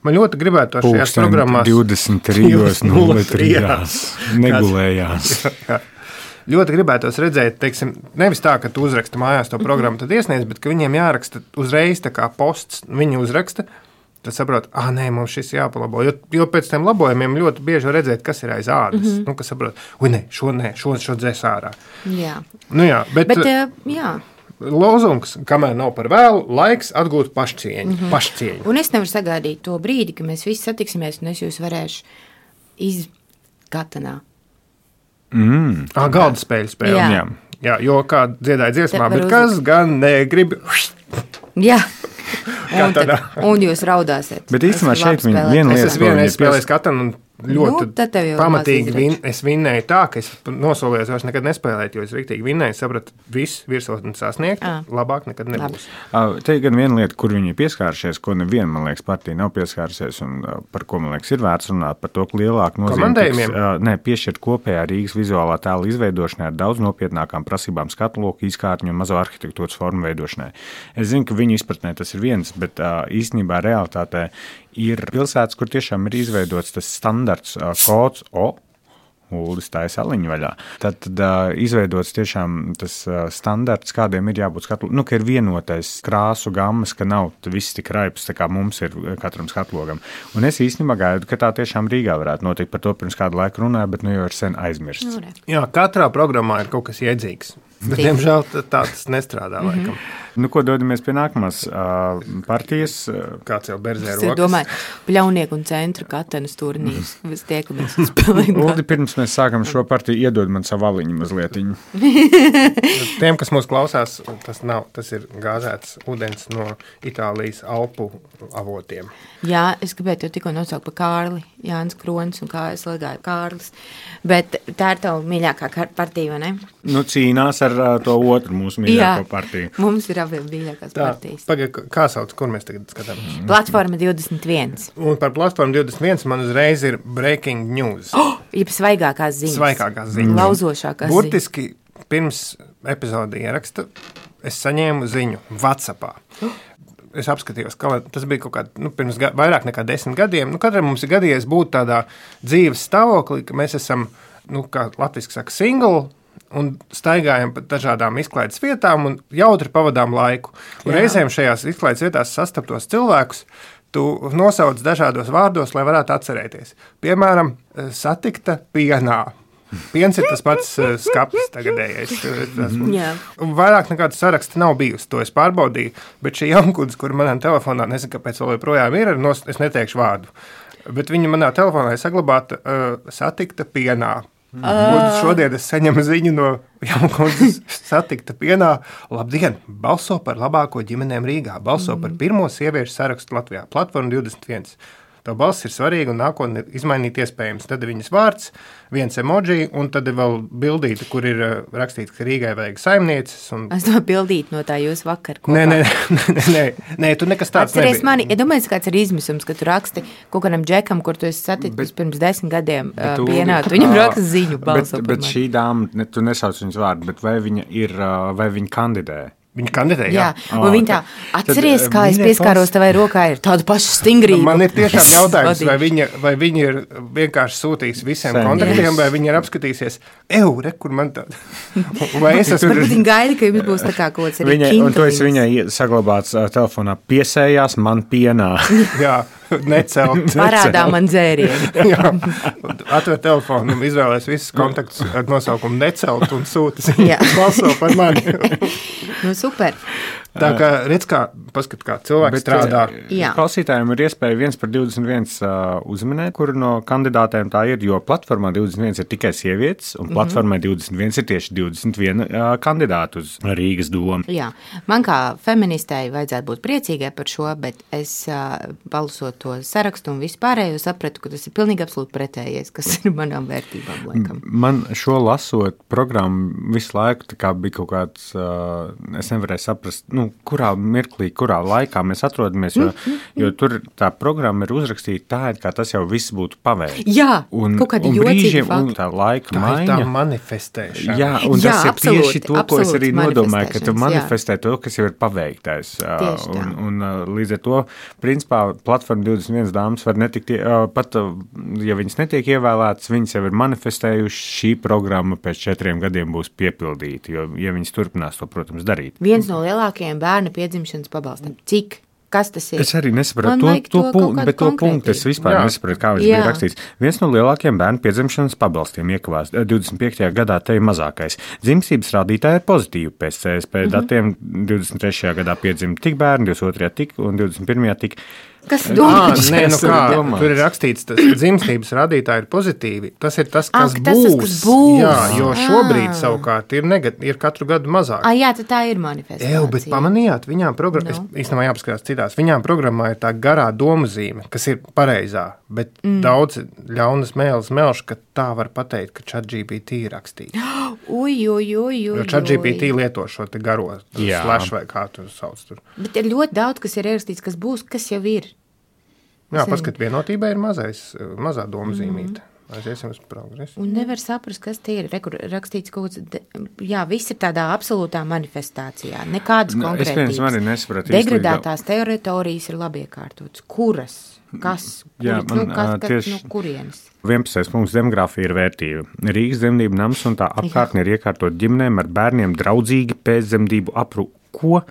Man ļoti gribētos šajās programmās... divdesmit trīs nulle trīs negulējās. jā, jā. Ļoti gribētos redzēt, teiksim, nevis tā, ka tu uzraksti mājās to programmu, tad iesniedz, bet ka viņiem jāraksta uzreiz tā kā posts, viņi uzraksta, tad saprot, ah, nē, mums šis jāpalabo, jo, jo pēc tiem labojumiem ļoti bieži var redzēt, kas ir aiz ādas, mm-hmm. nu, kas saprot, ui, nē, šo, nē, šo, šo dzēs ārā. Jā. Nu jā, bet, bet jā. Lozungs, kamēr nav par vēlu, laiks atgūt pašcieņu, mm-hmm. pašcieņu. Un es nevaru sagaidīt to brīdi, ka mēs visi satiksimies, un es jūs varēšu izgatanā. Mm. Ah, galda spēļu spēļu. Jā. Jā. Jā, jo kā dziedāja dziesmā, bet uz... kas gan negrib... Jā. Un, tad, un jūs raudāsiet. Bet īstenībā šeit viņa viena lieta. Es esmu vienreiz spēlējis katanu un ļoti nu, pamatīgi vin, es vinnēju tā, ka es nosolījos vairs nekad nespēlēt, jo es riktīgi vinnēju, sapratu, viss virsotni sasniegt, à. Labāk nekad nebūs. Labi. Te ir gan viena lieta, kur viņi ir pieskārušies, ko neviena, man liekas, partija nav pieskārusies, un par ko, man liekas, ir vērts runāt, par to, ka lielāku nozīmi tiks, ne, piešķirt kopējā Rīgas vizuālā tēla izveidošanai ar daudz nopietnākām prasībām skatloku, izkārtņu un mazo arhitektūras formu veidošanai. Es zinu, ka viņu izpratnē tas ir viens, bet īstenībā realitātē ir pilsētas, kur tiešām ir izveidots tas standarts uh, kods O, Uldis tā ir saliņa vaļā. Tad, tad uh, izveidots tiešām tas uh, standarts, kādiem ir jābūt skatlu, nu, ka ir vienotais krāsu gammas, ka nav viss tik raips, tā kā mums ir katram skatlogam. Un es īstenībā gaidu, ka tā tiešām Rīgā varētu notikt. Par to pirms kādu laiku runāju, bet nu jau ir sen aizmirsts. Jā, katrā programmā ir kaut kas iedzīgs. Bet, diemžēl, tā tas nestrādā laikam. Mm-hmm. Nu, ko dodamies pie nākamās uh, partijas? Kāds jau berzē rokas? Es domāju, pļaunieku un centra katenas turnīrs. Mēs tiekamies un spēlējam. Uldi, pirms mēs sākam šo partiju, iedod man savu aliņu mazlietiņu. Tiem, kas mūs klausās, tas nav, tas ir gāzēts ūdens no Itālijas Alpu avotiem. Jā, es gribētu jau tikko nosaukt par Kārli, Jānis Kronis un kā es lagāju Kārlis. Bet tā ir tava mīļākā partija, vai ne? Nu, cīnās ar uh, to otru mūsu mīļāko partiju. Jā, mums ir abiem mīļākās tā, partijas. Pagaid, kā sauc, kur mēs tagad skatāmies? Platforma divdesmit viens. Un par Platformu divdesmit viens man uzreiz ir breaking news. Oh, jeb svaigākās ziņas. Svaigākās ziņas. Lauzošākās ziņas. Burtiski pirms epizodi ieraksta es saņēmu ziņu WhatsAppā. Oh. Es apskatījos, ka tas bija kaut kā, nu, pirms ga, vairāk nekā desmit gadiem. Nu, katram mums ir gadījies būt tādā dzīves stāvoklī, ka mēs esam, nu, kā latviski saka, single, un staigājam pa dažādām izklaides vietām un jautri pavadām laiku. Un reizēm šajās izklaides vietās sastaptos cilvēkus, tu nosauc dažādos vārdos, lai varētu atcerēties. Piemēram, satikta pienā. Piens ir tas pats skapis tagadējais. Un vairāk nekāda saraksta nav bijusi, to es pārbaudīju, bet šī jaunkudas, kur manā telefonā, nezinu, kāpēc vēl joprojām ir, es neteikšu vārdu, bet viņa manā telefonā ir saglabāta uh, satikta pienā. Mm. Un šodien es saņemu ziņu no jaunkudas satikta pienā. Labdien, balso par labāko ģimenēm Rīgā, balso mm. par pirmo sieviešu sarakstu Latvijā, Platforma divdesmit viens. Tā balss ir svarīga un nākotnē izmainīt iespējams. Tad ir viņas vārds, viens emoji, un tad ir vēl bildīte, kur ir rakstīts, ka Rīgai vajag saimnieces. Un... Es domāju, bildīt no tā jūs vakar kopā. Nē, nē, nē, nē, nē, tu nekas tāds nebija. Atceries mani, ja domājies, kāds ir izmisums, ka tu raksti kaut kādam džekam, kur tu esi saticis pirms desmit gadiem uh, pienāt, viņam raksta ziņu balso. Bet, bet šī dāma, ne, tu nesauc viņas vārdu, bet vai viņa ir, vai viņa kandidē? Viņa kandidē, jā. Jā, un oh, viņa tā, atceries, kā es pieskāros tavai rokai, ir tāda paša stingrība. Man ir tiešām jautājums, vai viņa, vai viņa ir vienkārši sūtījis visiem Sen, kontaktiem, yes. vai viņa ir apskatīsies, ew, re, kur man tāda. Vai es esmu... Varbūt viņa gaida, ka jums būs tā kā kaut kāds arī viņa, un to es viņai saglabāts uh, telefonā, piesējās man pienā. Jā. necelt. Parādā man dzērienu. Jā, atver telefonu un izvēlēs visus kontaktus ar nosaukumu necelt un sūta ziņu. Balso par mani. Nu, super. Tā kā redz, kā, paskat, kā cilvēks Bet, strādā. Jā. Klausītājiem ir iespēja viens par divdesmit viens uh, uzminēt, kuru no kandidātēm tā ir, jo platformā divdesmit viens ir tikai sievietes, un mm-hmm. platformā divdesmit viens ir tieši divdesmit viens uh, kandidātu uz Rīgas domu. Jā, man kā feministei vajadzētu būt priecīgai par šo, bet es uh, palasot to sarakstu un vispārējo sapratu, ka tas ir pilnīgi absolūti pretējies, kas ir manām vērtībām, laikam. Man šo lasot programmu visu laiku tā kā bija kaut kāds, uh, es nevarēju saprast, nu, kurā mirklī, kurā laikā mēs atrodamies, jo, jo tur tā programma ir uzrakstīta tā, kā tas jau viss būtu paveikts. Jā, un, kaut kādi un jocīgi fakti. Un tā laika tā maiņa. Tā ir tā manifestēšana. Jā, un jā, tas ir absolūti, tieši to, ko es arī nodomāju, ka tu manifestē jā. to, kas jau ir paveiktais. Un, un līdz ar to, principā, platforma divdesmit viens dāmas var netikt, pat, ja viņas netiek ievēlētas, viņas jau ir manifestējuši, šī programma pēc četriem gadiem būs piepildīta, jo, ja viņas turpinās to, protams, darīt. Viens no lielākajiem bērna piedzimšanas pabalstam. Cik? Kas tas ir? Es arī nesapratu to, to, to punktu, bet to punktu es vispār jā. nesapratu, kā viņš jā. bija rakstīts. Viens no lielākajiem bērnu piedzimšanas pabalstiem iekavās divdesmit piektajā gadā, te ir mazākais. Dzimstības rādītāji ir pozitīvi pēc C S P mm-hmm. datiem. divdesmit trešajā gadā piedzima tik bērni, divdesmit otrajā tik un divdesmit pirmajā tik. Kas domāts? Nē, nu kā, tur ir rakstīts, tas dzimstības rādītāji ir pozitīvi. Tas ir tas, kas, Ak, būs. Tas, kas būs. Jā, jo šobrīd savukārt ir, negat, ir katru gadu mazāk. Ah, jā, tad tā ir manifestācija. Ew, bet pamanījāt, viņām programmā, no. es īstenībā jāpaskatās citās, viņām programmā ir tā garā domazīme, kas ir pareizā, bet mm. daudz ļaunas mēles melš, ka tā var pateikt, ka ChatGPT ir rakstīts. Uj, uj, uj, uj. Jo ChatGPT lieto šo te garo slash vai kā tu sauc tur. Bet ir ļoti daudz, kas ir ierakstīts, kas būs, kas jau ir. Jā, paskat, vienotībai ir mazais, mazā domazīmīte. Mm. Aiziesim uz progresu. Un nevar saprast, kas tie ir. Rekur, rakstīts kaut kāds, jā, viss ir tādā absolūtā manifestācijā. Nekādas no, konkrētības. Degradētās teritorijas ir labi iekārtotas. Kuras? Kas? Kur, jā, man, nu, kas, kas tieši, no kurienes? vienpadsmitais punkts demogrāfija ir vērtība. Rīgas dzemdību nams un tā apkārtne ir iekārtot ģimenēm ar bērniem draudzīgi pēcdzemdību aprūpi. Ko?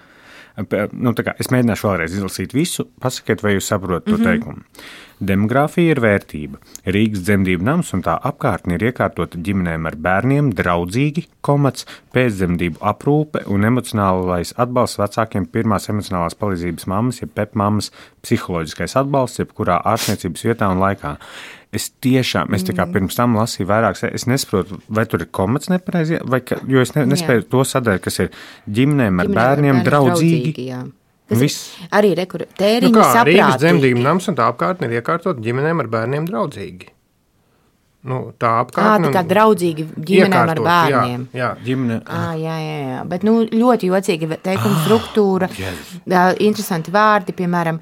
Nu, tā kā, es mēģināšu vēlreiz izlasīt visu, pasakiet, vai jūs saprotat to mm-hmm. teikumu. Demogrāfija ir vērtība. Rīgas dzemdību nams un tā apkārtne ir iekārtota ģimenēm ar bērniem draudzīgi, komats, pēcdzemdību aprūpe un emocionālais atbalsts vecākiem pirmās emocionālās palīdzības mammas, jeb pep mammas, psiholoģiskais atbalsts, jebkurā ārstniecības vietā un laikā. Es tiešām, es tā kā pirms tam lasīju vairākas, es nesaprotu, vai tur ir komats nepareizi, vai, ka, jo es ne, nespēju to sadaļu, kas ir ģimenēm ar Ģimene bērniem ar draudzīgi. draudzīgi jā. Arī rekur, tēriņi nu kā, saprātīgi. Rīgas dzemdību nams un tā apkārtne ir iekārtot ģimenēm ar bērniem draudzīgi. Nu, tā apkārtne. Ā, tā kā draudzīgi ģimenēm ar bērniem. Jā, jā. Ģimene. Ā, jā, jā, jā. Bet nu, ļoti jocīgi teikuma struktūra, yes. interesanti vārdi, piemēram,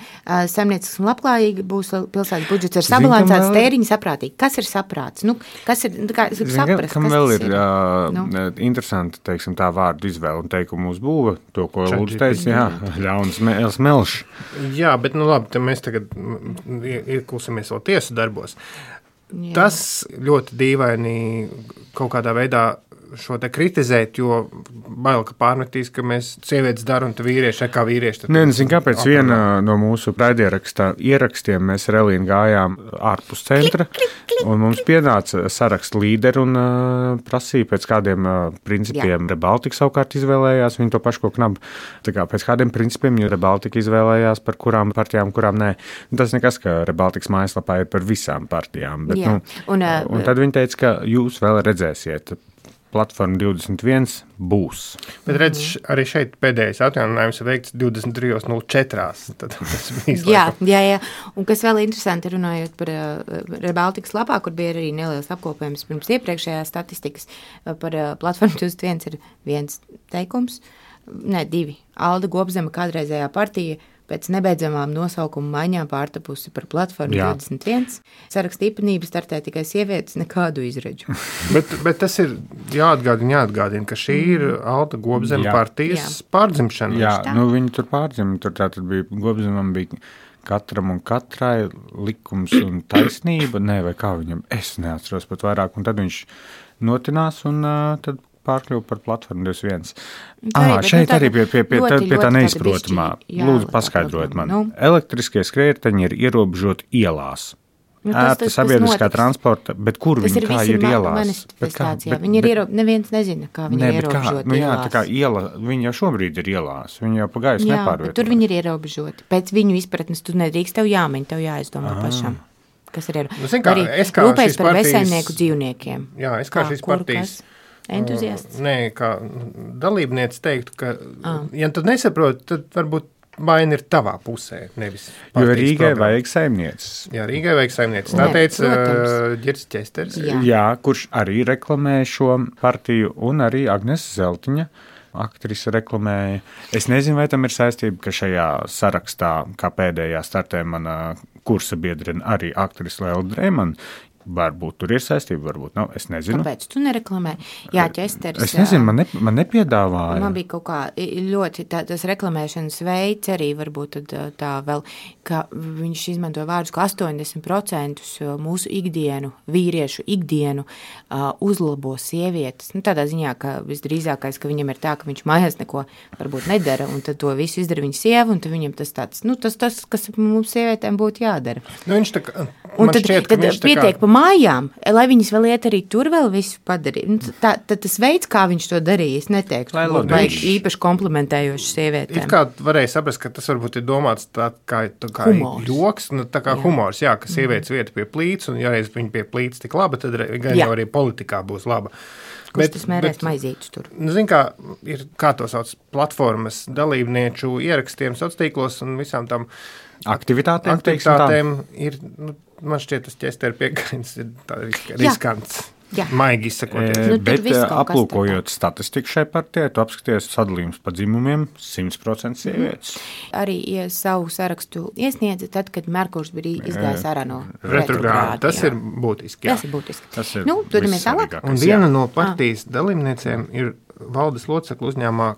saimniecisks un labklājīgi būs pilsētas budžets ar sabalansēts vēl... tēriņi saprātīgi. Kas ir saprāts? Nu, kas ir, kā, es gribu saprast, kam kas vēl ir? ir uh, nu? interesanti, teiksim, tā vārdu izvēle un teikumu uzbūve, to, ko Lūdzu teica, jā, ļaunas mēles melš. Jā, bet nu labi, tad mēs tagad iekulsimies vēl tiesu darbos. Jā. Tas ļoti dīvaini kaut kādā veidā šo te kritizēt, jo bail, ka pārmetīs, ka mēs sievietes dara un tu vīrieši, kā vīrieši. Nē, nezinu, kāpēc aprunā. Viena no mūsu raidierakstā ierakstiem mēs ar Elīnu gājām ārpus centra, klik, klik, klik, un mums pienāca sarakstu līderi un uh, prasīja pēc kādiem uh, principiem. Jā. Rebaltika savukārt izvēlējās, viņi to pašu ko knabu. Tā kā pēc kādiem principiem, jo Rebaltika izvēlējās par kurām partijām, kurām nē. Tas nekas, ka Rebaltikas mājaslapā ir par visām partijām. Bet, nu, un, uh, un tad viņi teica, ka jūs vēl redzēsiet. Platforma divdesmit viens būs. Bet redz, arī šeit pēdējais atjauninājums ir veikts divdesmit trīs nulle četri. Jā, jā, jā. Un kas vēl interesanti runājot par uh, Rebaltikas lapā, kur bija arī neliels apkopējums pirms iepriekšējās statistikas par uh, Platformu divdesmit viens ir viens teikums, ne, divi. Alda Gobzema kādreizējā partija pēc nebeidzamām nosaukuma maiņām pārtapusi par Platformu jā. divdesmit viens. Saraksta īpatnība startē tikai sievietes, nekādu izredžu. bet, bet tas ir jāatgādina, jāatgādina, ka šī ir Alda Gobzema partijas jā. pārdzimšana. Jā, nu viņi tur pārdzima, tur tātad bija, Gobzemam bija katram un katrai likums un taisnība, ne, vai kā viņam, es neatceros pat vairāk, un tad viņš notinās un uh, tad pārkļuva par platformu divdesmit viens? Tā Ah, ir, šeit nu, arī pie, pie, pie, ļoti, tā, pie tā ļoti neizprotamā. tāda bišķi, Lūdzu, jā, paskaidrojiet tā man. nu. Elektriskie skrējēji ir ierobežoti ielās. Nu, tas- Ērta tas- tas sabiedriskā notiks. transporta, bet kur Tas viņi ir kā visi ir ma- ielās? manifestācijā. Viņi ir ierobežoti, neviens nezina, kā viņi Nē, ir bet kā, ierobežoti nu jā, ielās. tā kā iela, viņi jau šobrīd ir ielās, viņi jau pa gaisu Jā, nepārvieto. bet tur viņi ir ierobežoti. Pēc viņu izpratnes tu nedrīkst, tev jāmeņ, tev jāizdomā Ah. pašam. Kas ir Nu, zini kā, arī es kā rūpējas šīs par partijas- vesaimnieku dzīvniekiem. Jā, es kā šīs kur partijas kas? Entuziasts. Nē, kā dalībniece teiktu, ka, Ah. ja tu nesaproti, tad varbūt vaina ir tavā pusē, nevis Jo partijas Rīgai programmā. vajag saimnieces. Jā, Rīgai vajag saimnieces. Tā Nē, teica protams. uh, Ģirds Česters. Jā. Jā, kurš arī reklamē šo partiju, un arī Agnes Zeltiņa. Aktrise reklamēja. Es nezinu, vai tam ir saistība, ka šajā sarakstā, kā pēdējā startē mana kursa biedrene, arī aktrise Lēla Drēmana. Varbūt tur ir saistība, varbūt nav. Es nezinu. Kāpēc tu nereklamē? Jā, Česters. Es nezinu, man, ne, man nepiedāvāja. Man bija kaut kā ļoti tā, tas reklamēšanas veids arī varbūt tad, tā vēl, ka viņš izmanto vārdus, ka astoņdesmit procenti mūsu ikdienu, vīriešu ikdienu uh, uzlabo sievietes. Nu, tādā ziņā, ka visdrīzākais, ka viņam ir tā, ka viņš mājās neko varbūt nedara, un tad to visu izdara viņa sieva, un tad viņam tas tāds, nu, tas, tas kas mums sievietēm būtu jādara. Nu, viņš tā kā, Un man tad, šķiet, ka tad viņš tā pietiek kā, pa mājām, lai viņas vēl iet arī tur vēl visu padarīt. Nu, tā, tad tas veids, kā viņš to darīja, es neteiktu, Lai ka labi. vajag īpaši komplementējoši it sievietēm. kā varēja saprast, ka tas varbūt ir domāts tā kā, tā kā Humors. joks, nu, tā kā Jā. humors, jā, ka sievietes vieta pie plīts, un ja reiz viņa pie plīts tik laba, tad re- gan Jā. jau arī politikā būs laba. Kurš tas mērēs maizītus tur? Nu, zin kā, ir, kā to sauc, platformas dalībnieču ierakstiem sociālos un visām tam Aktivitātēm, teiksim tā. aktivitātēm ir, nu, man šķiet, tas ķester piekrins ir tā risk, Jā. riskants. Jā. Maigi izsakoties. E, Nu, tur bet viss e, kaut kas aplūkojot statistiku šai partijai, tu apskaties sadalījums pa dzimumiem simt procenti sievietes. Arī ja savu sarakstu iesniedza tad, kad Merkurs bija izgājis ārā no Retrogrādi. Tas jā. ir būtiski. Jā. Tas ir būtiski. Tas ir Nu, dodamies tālāk. vissvarīgākais, Un jā. viena no partijas dalībniecēm ir valdes loceklu uzņēmumā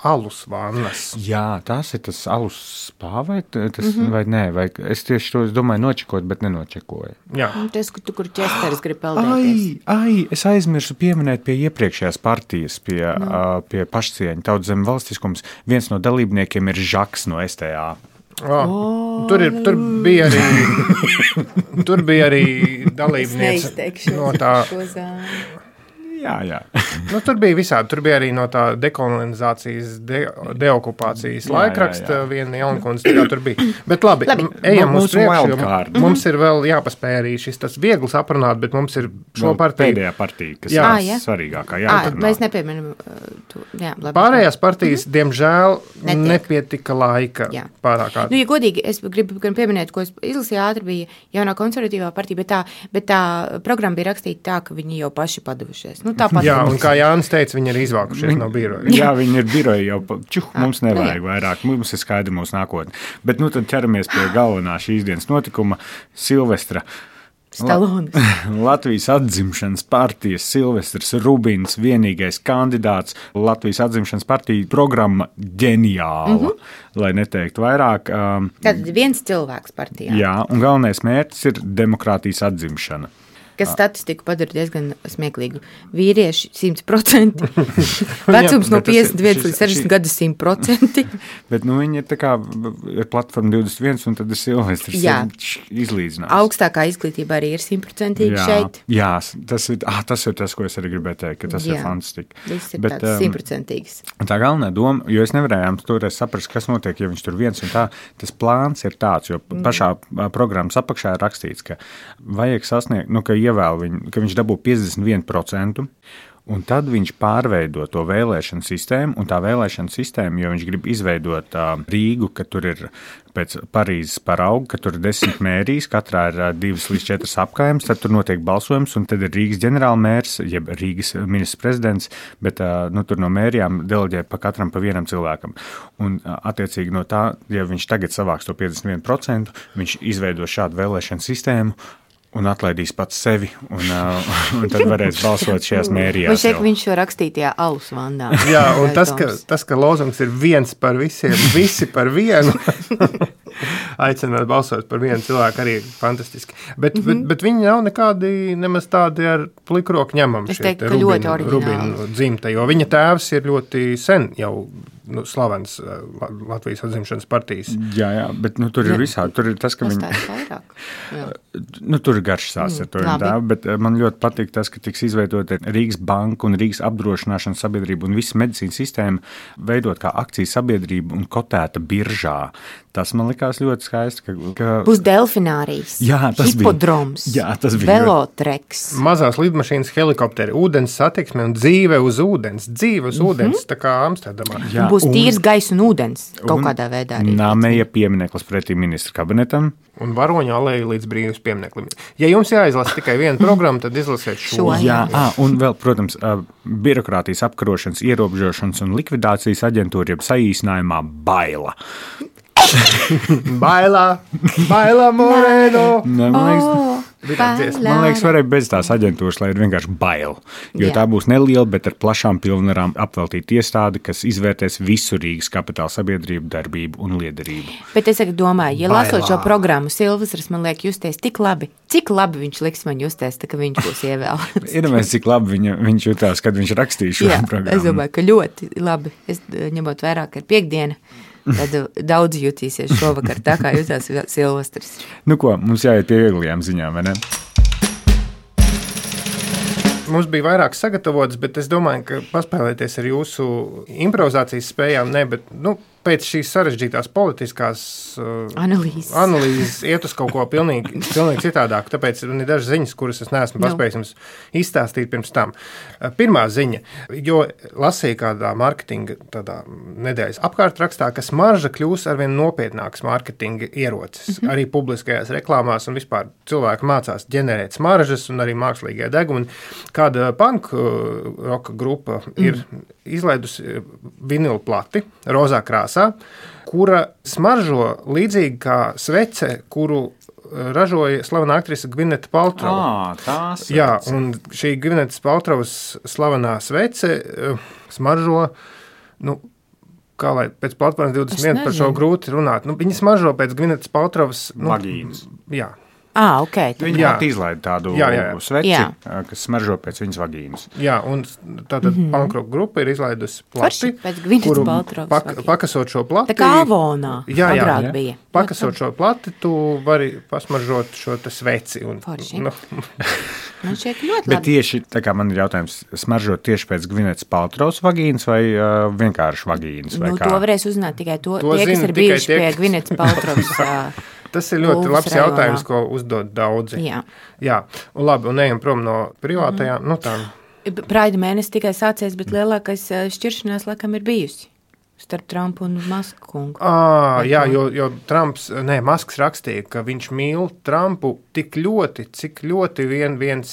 Alus vannas. Jā, tas ir tas alus spā vai, t- tas, Mhm. mm -hmm. vai nē, vai es tieši to es domāju nočekot, bet nenočekoju. Jā. Un Tas, kur, tu, kur Česters grib peldēties. Ai, ai, es aizmirsu pieminēt pie iepriekšējās partijas, pie, no. uh, pie pašcieņa tautas zem valstiskums. Viens no dalībniekiem ir Žaks no S T A. Oh, tur, ir, tur bija arī, tur bija arī dalībniece no tā. Jā, jā. Nu, tur bija visādi. Tur bija arī no tā dekolonizācijas, de, deokupācijas Jā, laikraksta jā, jā. viena Jaunkundze. Tā kā tur bija. Bet labi, Labi. ejam Nu, uz mūsu priekšu. jo wildcard. Mums ir vēl jāpaspēj arī šis tas viegls aprunāt, bet mums ir šo Vēl partiju. Pēdējā partija, kas Jā. jā. Ā, ir jā. svarīgākā. Ā, Jā, mēs nepieminam uh, to. Jā, labi. Pārējās partijas, diemžēl, Netiek. nepietika laika Jā. pārāk Nu, ātri. ja godīgi, es gribu gan pieminēt, ko es izlasīju ātri, bija jaunā konservatīvā partija, bet tā, bet tā programma bija rakstīta tā, ka viņi jau paši padavušies. Nu, tāpat Jā, un mums. kā Jānis teica, viņi ir izvākušies no biroja. Jā, viņi ir biroji jau. pa- Čuh, mums nu nevajag jā. vairāk. Mums ir skaidra mūsu nākotne. Bet nu tad ķeramies pie galvenā šīs dienas notikuma - Silvestra. Stalonis. Latvijas atzimšanas partijas Silvestrs Rubins, vienīgais kandidāts. Latvijas atzimšanas partija programma ģeniāla, mm -hmm. lai neteiktu vairāk. Um, Tātad viens cilvēks partijā, jā, un galvenais mērķis ir demokrātijas atzimšana. kas statistiku padara diezgan smieklīgu. Vīrieši simt procenti, vecums no bet tas ir- piecdesmit viens šis- līdz sešdesmit šī- gadu simt procenti. Bet nu, viņi ir tā kā ir platforma divdesmit viens, un tad ir Silvestrs Jā. izlīdzinājums. Augstākā izglītība arī ir simt procenti Jā, šeit. jā tas, ir, ah, tas ir tas, ko es arī gribēju teikt, ka tas jā. ir Jā. fantastiski. Viss ir Bet, tāds um, simt procentīgs. Tā galvenā doma, jo es nevarēju toreiz saprast, kas notiek, ja viņš tur viens un tā, tas plāns ir tāds, jo pašā mm. programmas apakšā ir rakstīts, ka vajag sasniegt, nu, ka ievēl viņu, ka viņš dabū piecdesmit viens procents, un tad viņš pārveido to vēlēšanu sistēmu, un tā vēlēšana sistēma, jo viņš grib izveidot uh, Rīgu, ka tur ir pēc Parīzes parauga, ka tur ir desmit mērijas, katrā ir uh, divas līdz četras apkaimes, tad tur notiek balsojums, un tad ir Rīgas ģenerālmērs, jeb Rīgas ministrs prezidents, bet uh, nu, tur no mērijām deleģē pa katram pa vienam cilvēkam. Un uh, attiecīgi no tā, ja viņš tagad savāks to piecdesmit viens procents, viņš izveido šādu vēlēšanu sistēmu, un atlaidīs pats sevi, un, uh, un tad varēs balsot šajās mērijās. Viņš teica, jau. ka viņš šo rakstītajā alus vandā. Jā, un tas, ka, tas, ka lozungs ir viens par visiem, visi par vienu. aicināt balsot par vienu cilvēku arī fantastiski. Bet, mm -hmm. bet, bet viņi nav nekādi nemaz tādi ar plikroku ņemam. Es teiktu, ka ļoti oriģināli. Rubinu dzimta, jo viņa tēvs ir ļoti sen jau nu, slavens Latvijas atzimšanas partijas. Jā, jā, bet nu, tur ir visādi. Tur ir tas, ka viņi... nu, tur ir garš sās ar to tēvu, bet man ļoti patīk tas, ka tiks izveidota Rīgas banka un Rīgas apdrošināšanas sabiedrība un visa medicīnas sistēma veidot kā akciju sabiedrību un kotēta biržā. Tas man likās ļoti skaisti. Ka, ka... Būs delfinārijas, jā, hipodroms, bija, jā, tas bija velotreks. Mazās lidmašīnas, helikopteri, ūdens satiksme un dzīve uz ūdens. Dzīve uz mm -hmm. ūdens, tā kā Amsterdamā. Jā, būs un, tīrs gaiss un ūdens kaut un kādā veidā. Un Nāmeja piemineklis pretī ministra kabinetam. Un Varoņu aleja līdz brīvības piemineklim. Ja jums jāizlasa tikai viena programma, tad izlasiet šo. šo jā, à, un vēl, protams, birokrātijas apkarošanas, ierobežošanas un likvidācijas aģentūra, jeb saīsinājumā baila. Bailā, bailā Moreno. Ne, man liekas, oh, man liekas, varēja bez tās aģentūras, lai ir vienkārši baila. Jo jā. Tā būs neliela, bet ar plašām pilnvarām apveltīta iestāde, kas izvērtēs visu Rīgas kapitāla sabiedrību darbību un liederību. Bet es domāju, ja bailā. Lasot šo programmu, Silvestris man liek justies tik labi, cik labi viņš liks man justies, tā, ka viņš būs ievēlēts. Iedomājies, cik labi viņa, viņš jutās, kad viņš rakstīja šo jā, programmu. Es domāju, ka ļoti labi. Es ņemot vairāk ar piekdienu. Tad daudz jutīsies šovakar, tā kā jutās Silvestris. Nu ko, mums jāiet pie vieglajām ziņām, vai ne? Mums bija vairāk sagatavots, bet es domāju, ka paspēlēties ar jūsu improvizācijas spējām, ne, bet, nu, pēc šīs sarežģītās politiskās uh, analīzes. analīzes iet uz kaut ko pilnīgi, pilnīgi citādāk. Tāpēc ir dažas ziņas, kuras es neesmu no. paspējis jums izstāstīt pirms tam. Uh, pirmā ziņa, jo lasīju kādā marketinga tādā nedēļas apkārtrakstā, ka smarža kļūs arvien nopietnāks marketinga ierocis. Mm -hmm. Arī publiskajās reklāmās un vispār cilvēki mācās ģenerēt smaržas un arī mākslīgie degumi. Kāda punk uh, roka grupa mm. ir izlaidusi vinilu plati, rozā krāsā, kura smaržo līdzīgi kā svece, kuru ražoja slavena aktrise Gvineta Paltrova. Ah, tās Jā, un šī Gvinetas Paltrovas slavenā svece smaržo, nu, kā lai pēc platformas divdesmit viens par šo grūti runāt. Nu, viņi smaržo pēc Gvinetas Paltrovas... Nu, vagīnas. Jā. Ah, ok. Viņi pat izlaida tādu jā, jā, jā. sveci, jā. kas smaržo pēc viņas vagīnas. Jā, un tātad mm -hmm. punkroka grupa ir izlaidusi plati, kuru pak, pakasot šo plati. Tā kā Avonā jā, jā, agrāk jā. bija. Pakasot šo plati, tu vari pasmaržot šo te sveci. Un, nu. Man šķiet ļoti Bet labi. tieši, tā kā man ir jautājums, smaržot tieši pēc Gvinetas Paltrovas vagīnas vai uh, vienkārši vagīnas? Vai nu, kā? To varēs uzzināt tikai to, to tie, kas zina, ir bijuši tie, pie Gvinetas Paltrovas. Tas ir ļoti Ulvas labs rajonā. jautājums, ko uzdod daudzi. Jā. Jā, un labi, un ejam prom no privātajām, mm. nu tā. Praida mēnesis tikai sācies, bet lielākais šķiršanās laikam ir bijusi starp Trumpu un Masku kungu. À, jā, jo, jo Trumps, nē, Masks rakstīja, ka viņš mīl Trumpu tik ļoti, cik ļoti vien, viens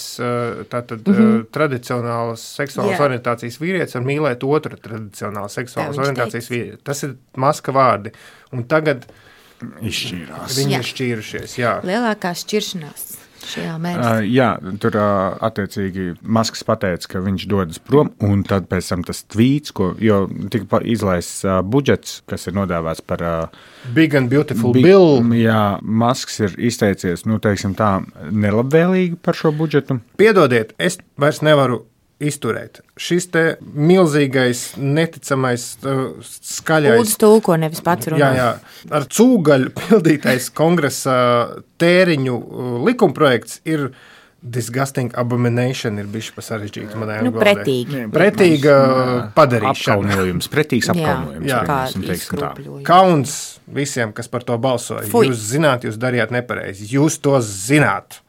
tātad mm -hmm. tradicionālas seksuālas jā. orientācijas vīrietis var mīlēt otru tradicionālas seksuālas tā, orientācijas vīrietis. Tas ir Maska vārdi. Un tagad izšķīrās. Viņi jā. ir šķīrušies, jā. Lielākā šķiršanās šajā mēnesī. Uh, jā, tur uh, attiecīgi Masks pateica, ka viņš dodas prom, un tad pēc tam tas tvīts, ko, jo tika izlaists uh, budžets, kas ir nodēvēts par uh, Big and Beautiful big, Bill. Jā, Masks ir izteicies, nu, teiksim tā, nelabvēlīgi par šo budžetu. Piedodiet, es vairs nevaru izturēt. Šis te milzīgais, neticamais, uh, skaļais... Lūdzu tulko, nevis pats runā. Jā, jā. Ar cūgaļu pildītais kongresa tēriņu uh, likumprojekts ir disgusting abomination, ir bišķi pa sarežģītu manējām Nu, valodā. pretīgi. Pretīga padarīšana. Apkaunojums, pretīgs apkaunojums. jā, kā teiksim, teiksim tā. izkropļojums. Kauns visiem, kas par to balsoja. Fui. Jūs zināt, jūs darījāt nepareizi. Jūs to zināt.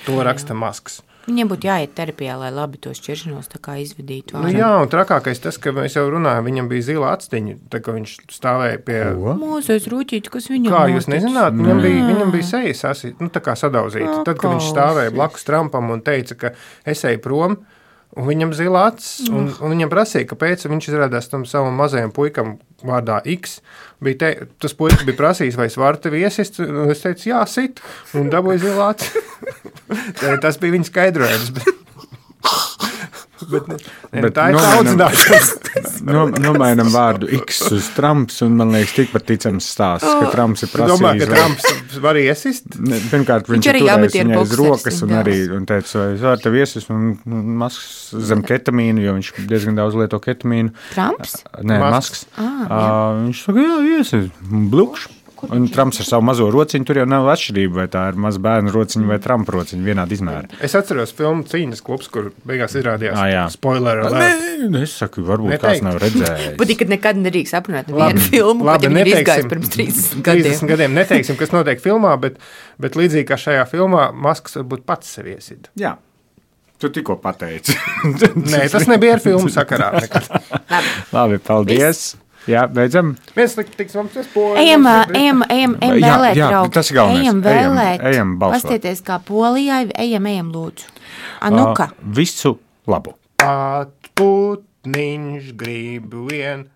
To raksta Masks. Viņiem būtu jāiet terapijā, lai labi to šķiršanos tā kā izvedītu. Nu, jā, un trakākais tas, ka mēs jau runājam, viņam bija zila atstiņa, tā kā viņš stāvēja pie... Mūzais rūķīti, kas viņam Kā notic. jūs nezināt, viņam bija, viņam bija sejas asi, nu tā kā sadauzīta. Tad, kad viņš stāvēja blakus Trumpam un teica, ka es eju prom, un viņam zila acis, un, un viņam prasīja, kāpēc viņš izrādās tam savam mazajam puikam vārdā X. Bija te, tas puikas bija prasījis, vai es varu tevi iesist, un es teicu, jā, sit, un dabūju zila acis. Tas bija viņa skaidrojums. Bet, ne, ne, Bet tā ir tā audzināšanas. No, nomainam vārdu X uz Trumps, un man liekas, tikpat ticams stāsts, ka Trumps ir prasījis. Domā, ka Trumps var iesist? Ne, pirmkārt, viņš, viņš ir turējis viņai uz rokas un arī un teica, vai es varu tev iesis, un Masks zem ketamīnu, jo viņš diezgan daudz lieto ketamīnu. Trumps? Nē, Masks. Ah, uh, viņš saka, jā, iesis, blukš. Un Trumps ar savu mazo rociņu, tur jau nav atšķirība, vai tā ir maza bērnu rociņa vai Trumpa rociņa, vienādi izmēra. Es atceros filmu Cīņas klubs, kur beigās izrādījās ah, spoiler alert. Nē, es saku, varbūt Neteikt. Kāds nav redzējis. Patīk, ka nekad nedrīkst aprunāt vienu filmu, labi, pat ja viņi ir izgājis pirms trīsdesmit gadiem. trīsdesmit gadiem neteiksim, kas notiek filmā, bet, bet līdzīgi kā šajā filmā, Masks varbūt pats sevi iesid. Jā. Tu tikko pateici. Nē, tas nebija ar filmu sakarā. Labi. Labi, paldies. Viss. Jā, beidzam. Viens tiks mums tas poļi. Ejam, ejam, ejam, ejam vēlēt, jā, draugi. Tas ir galvenais. Ejam vēlēt. Ejam, ejam balsot. Pastieties kā Polijai, ejam, ejam lūdzu. Anuka. Uh, visu labu. Atputniņš grib vien.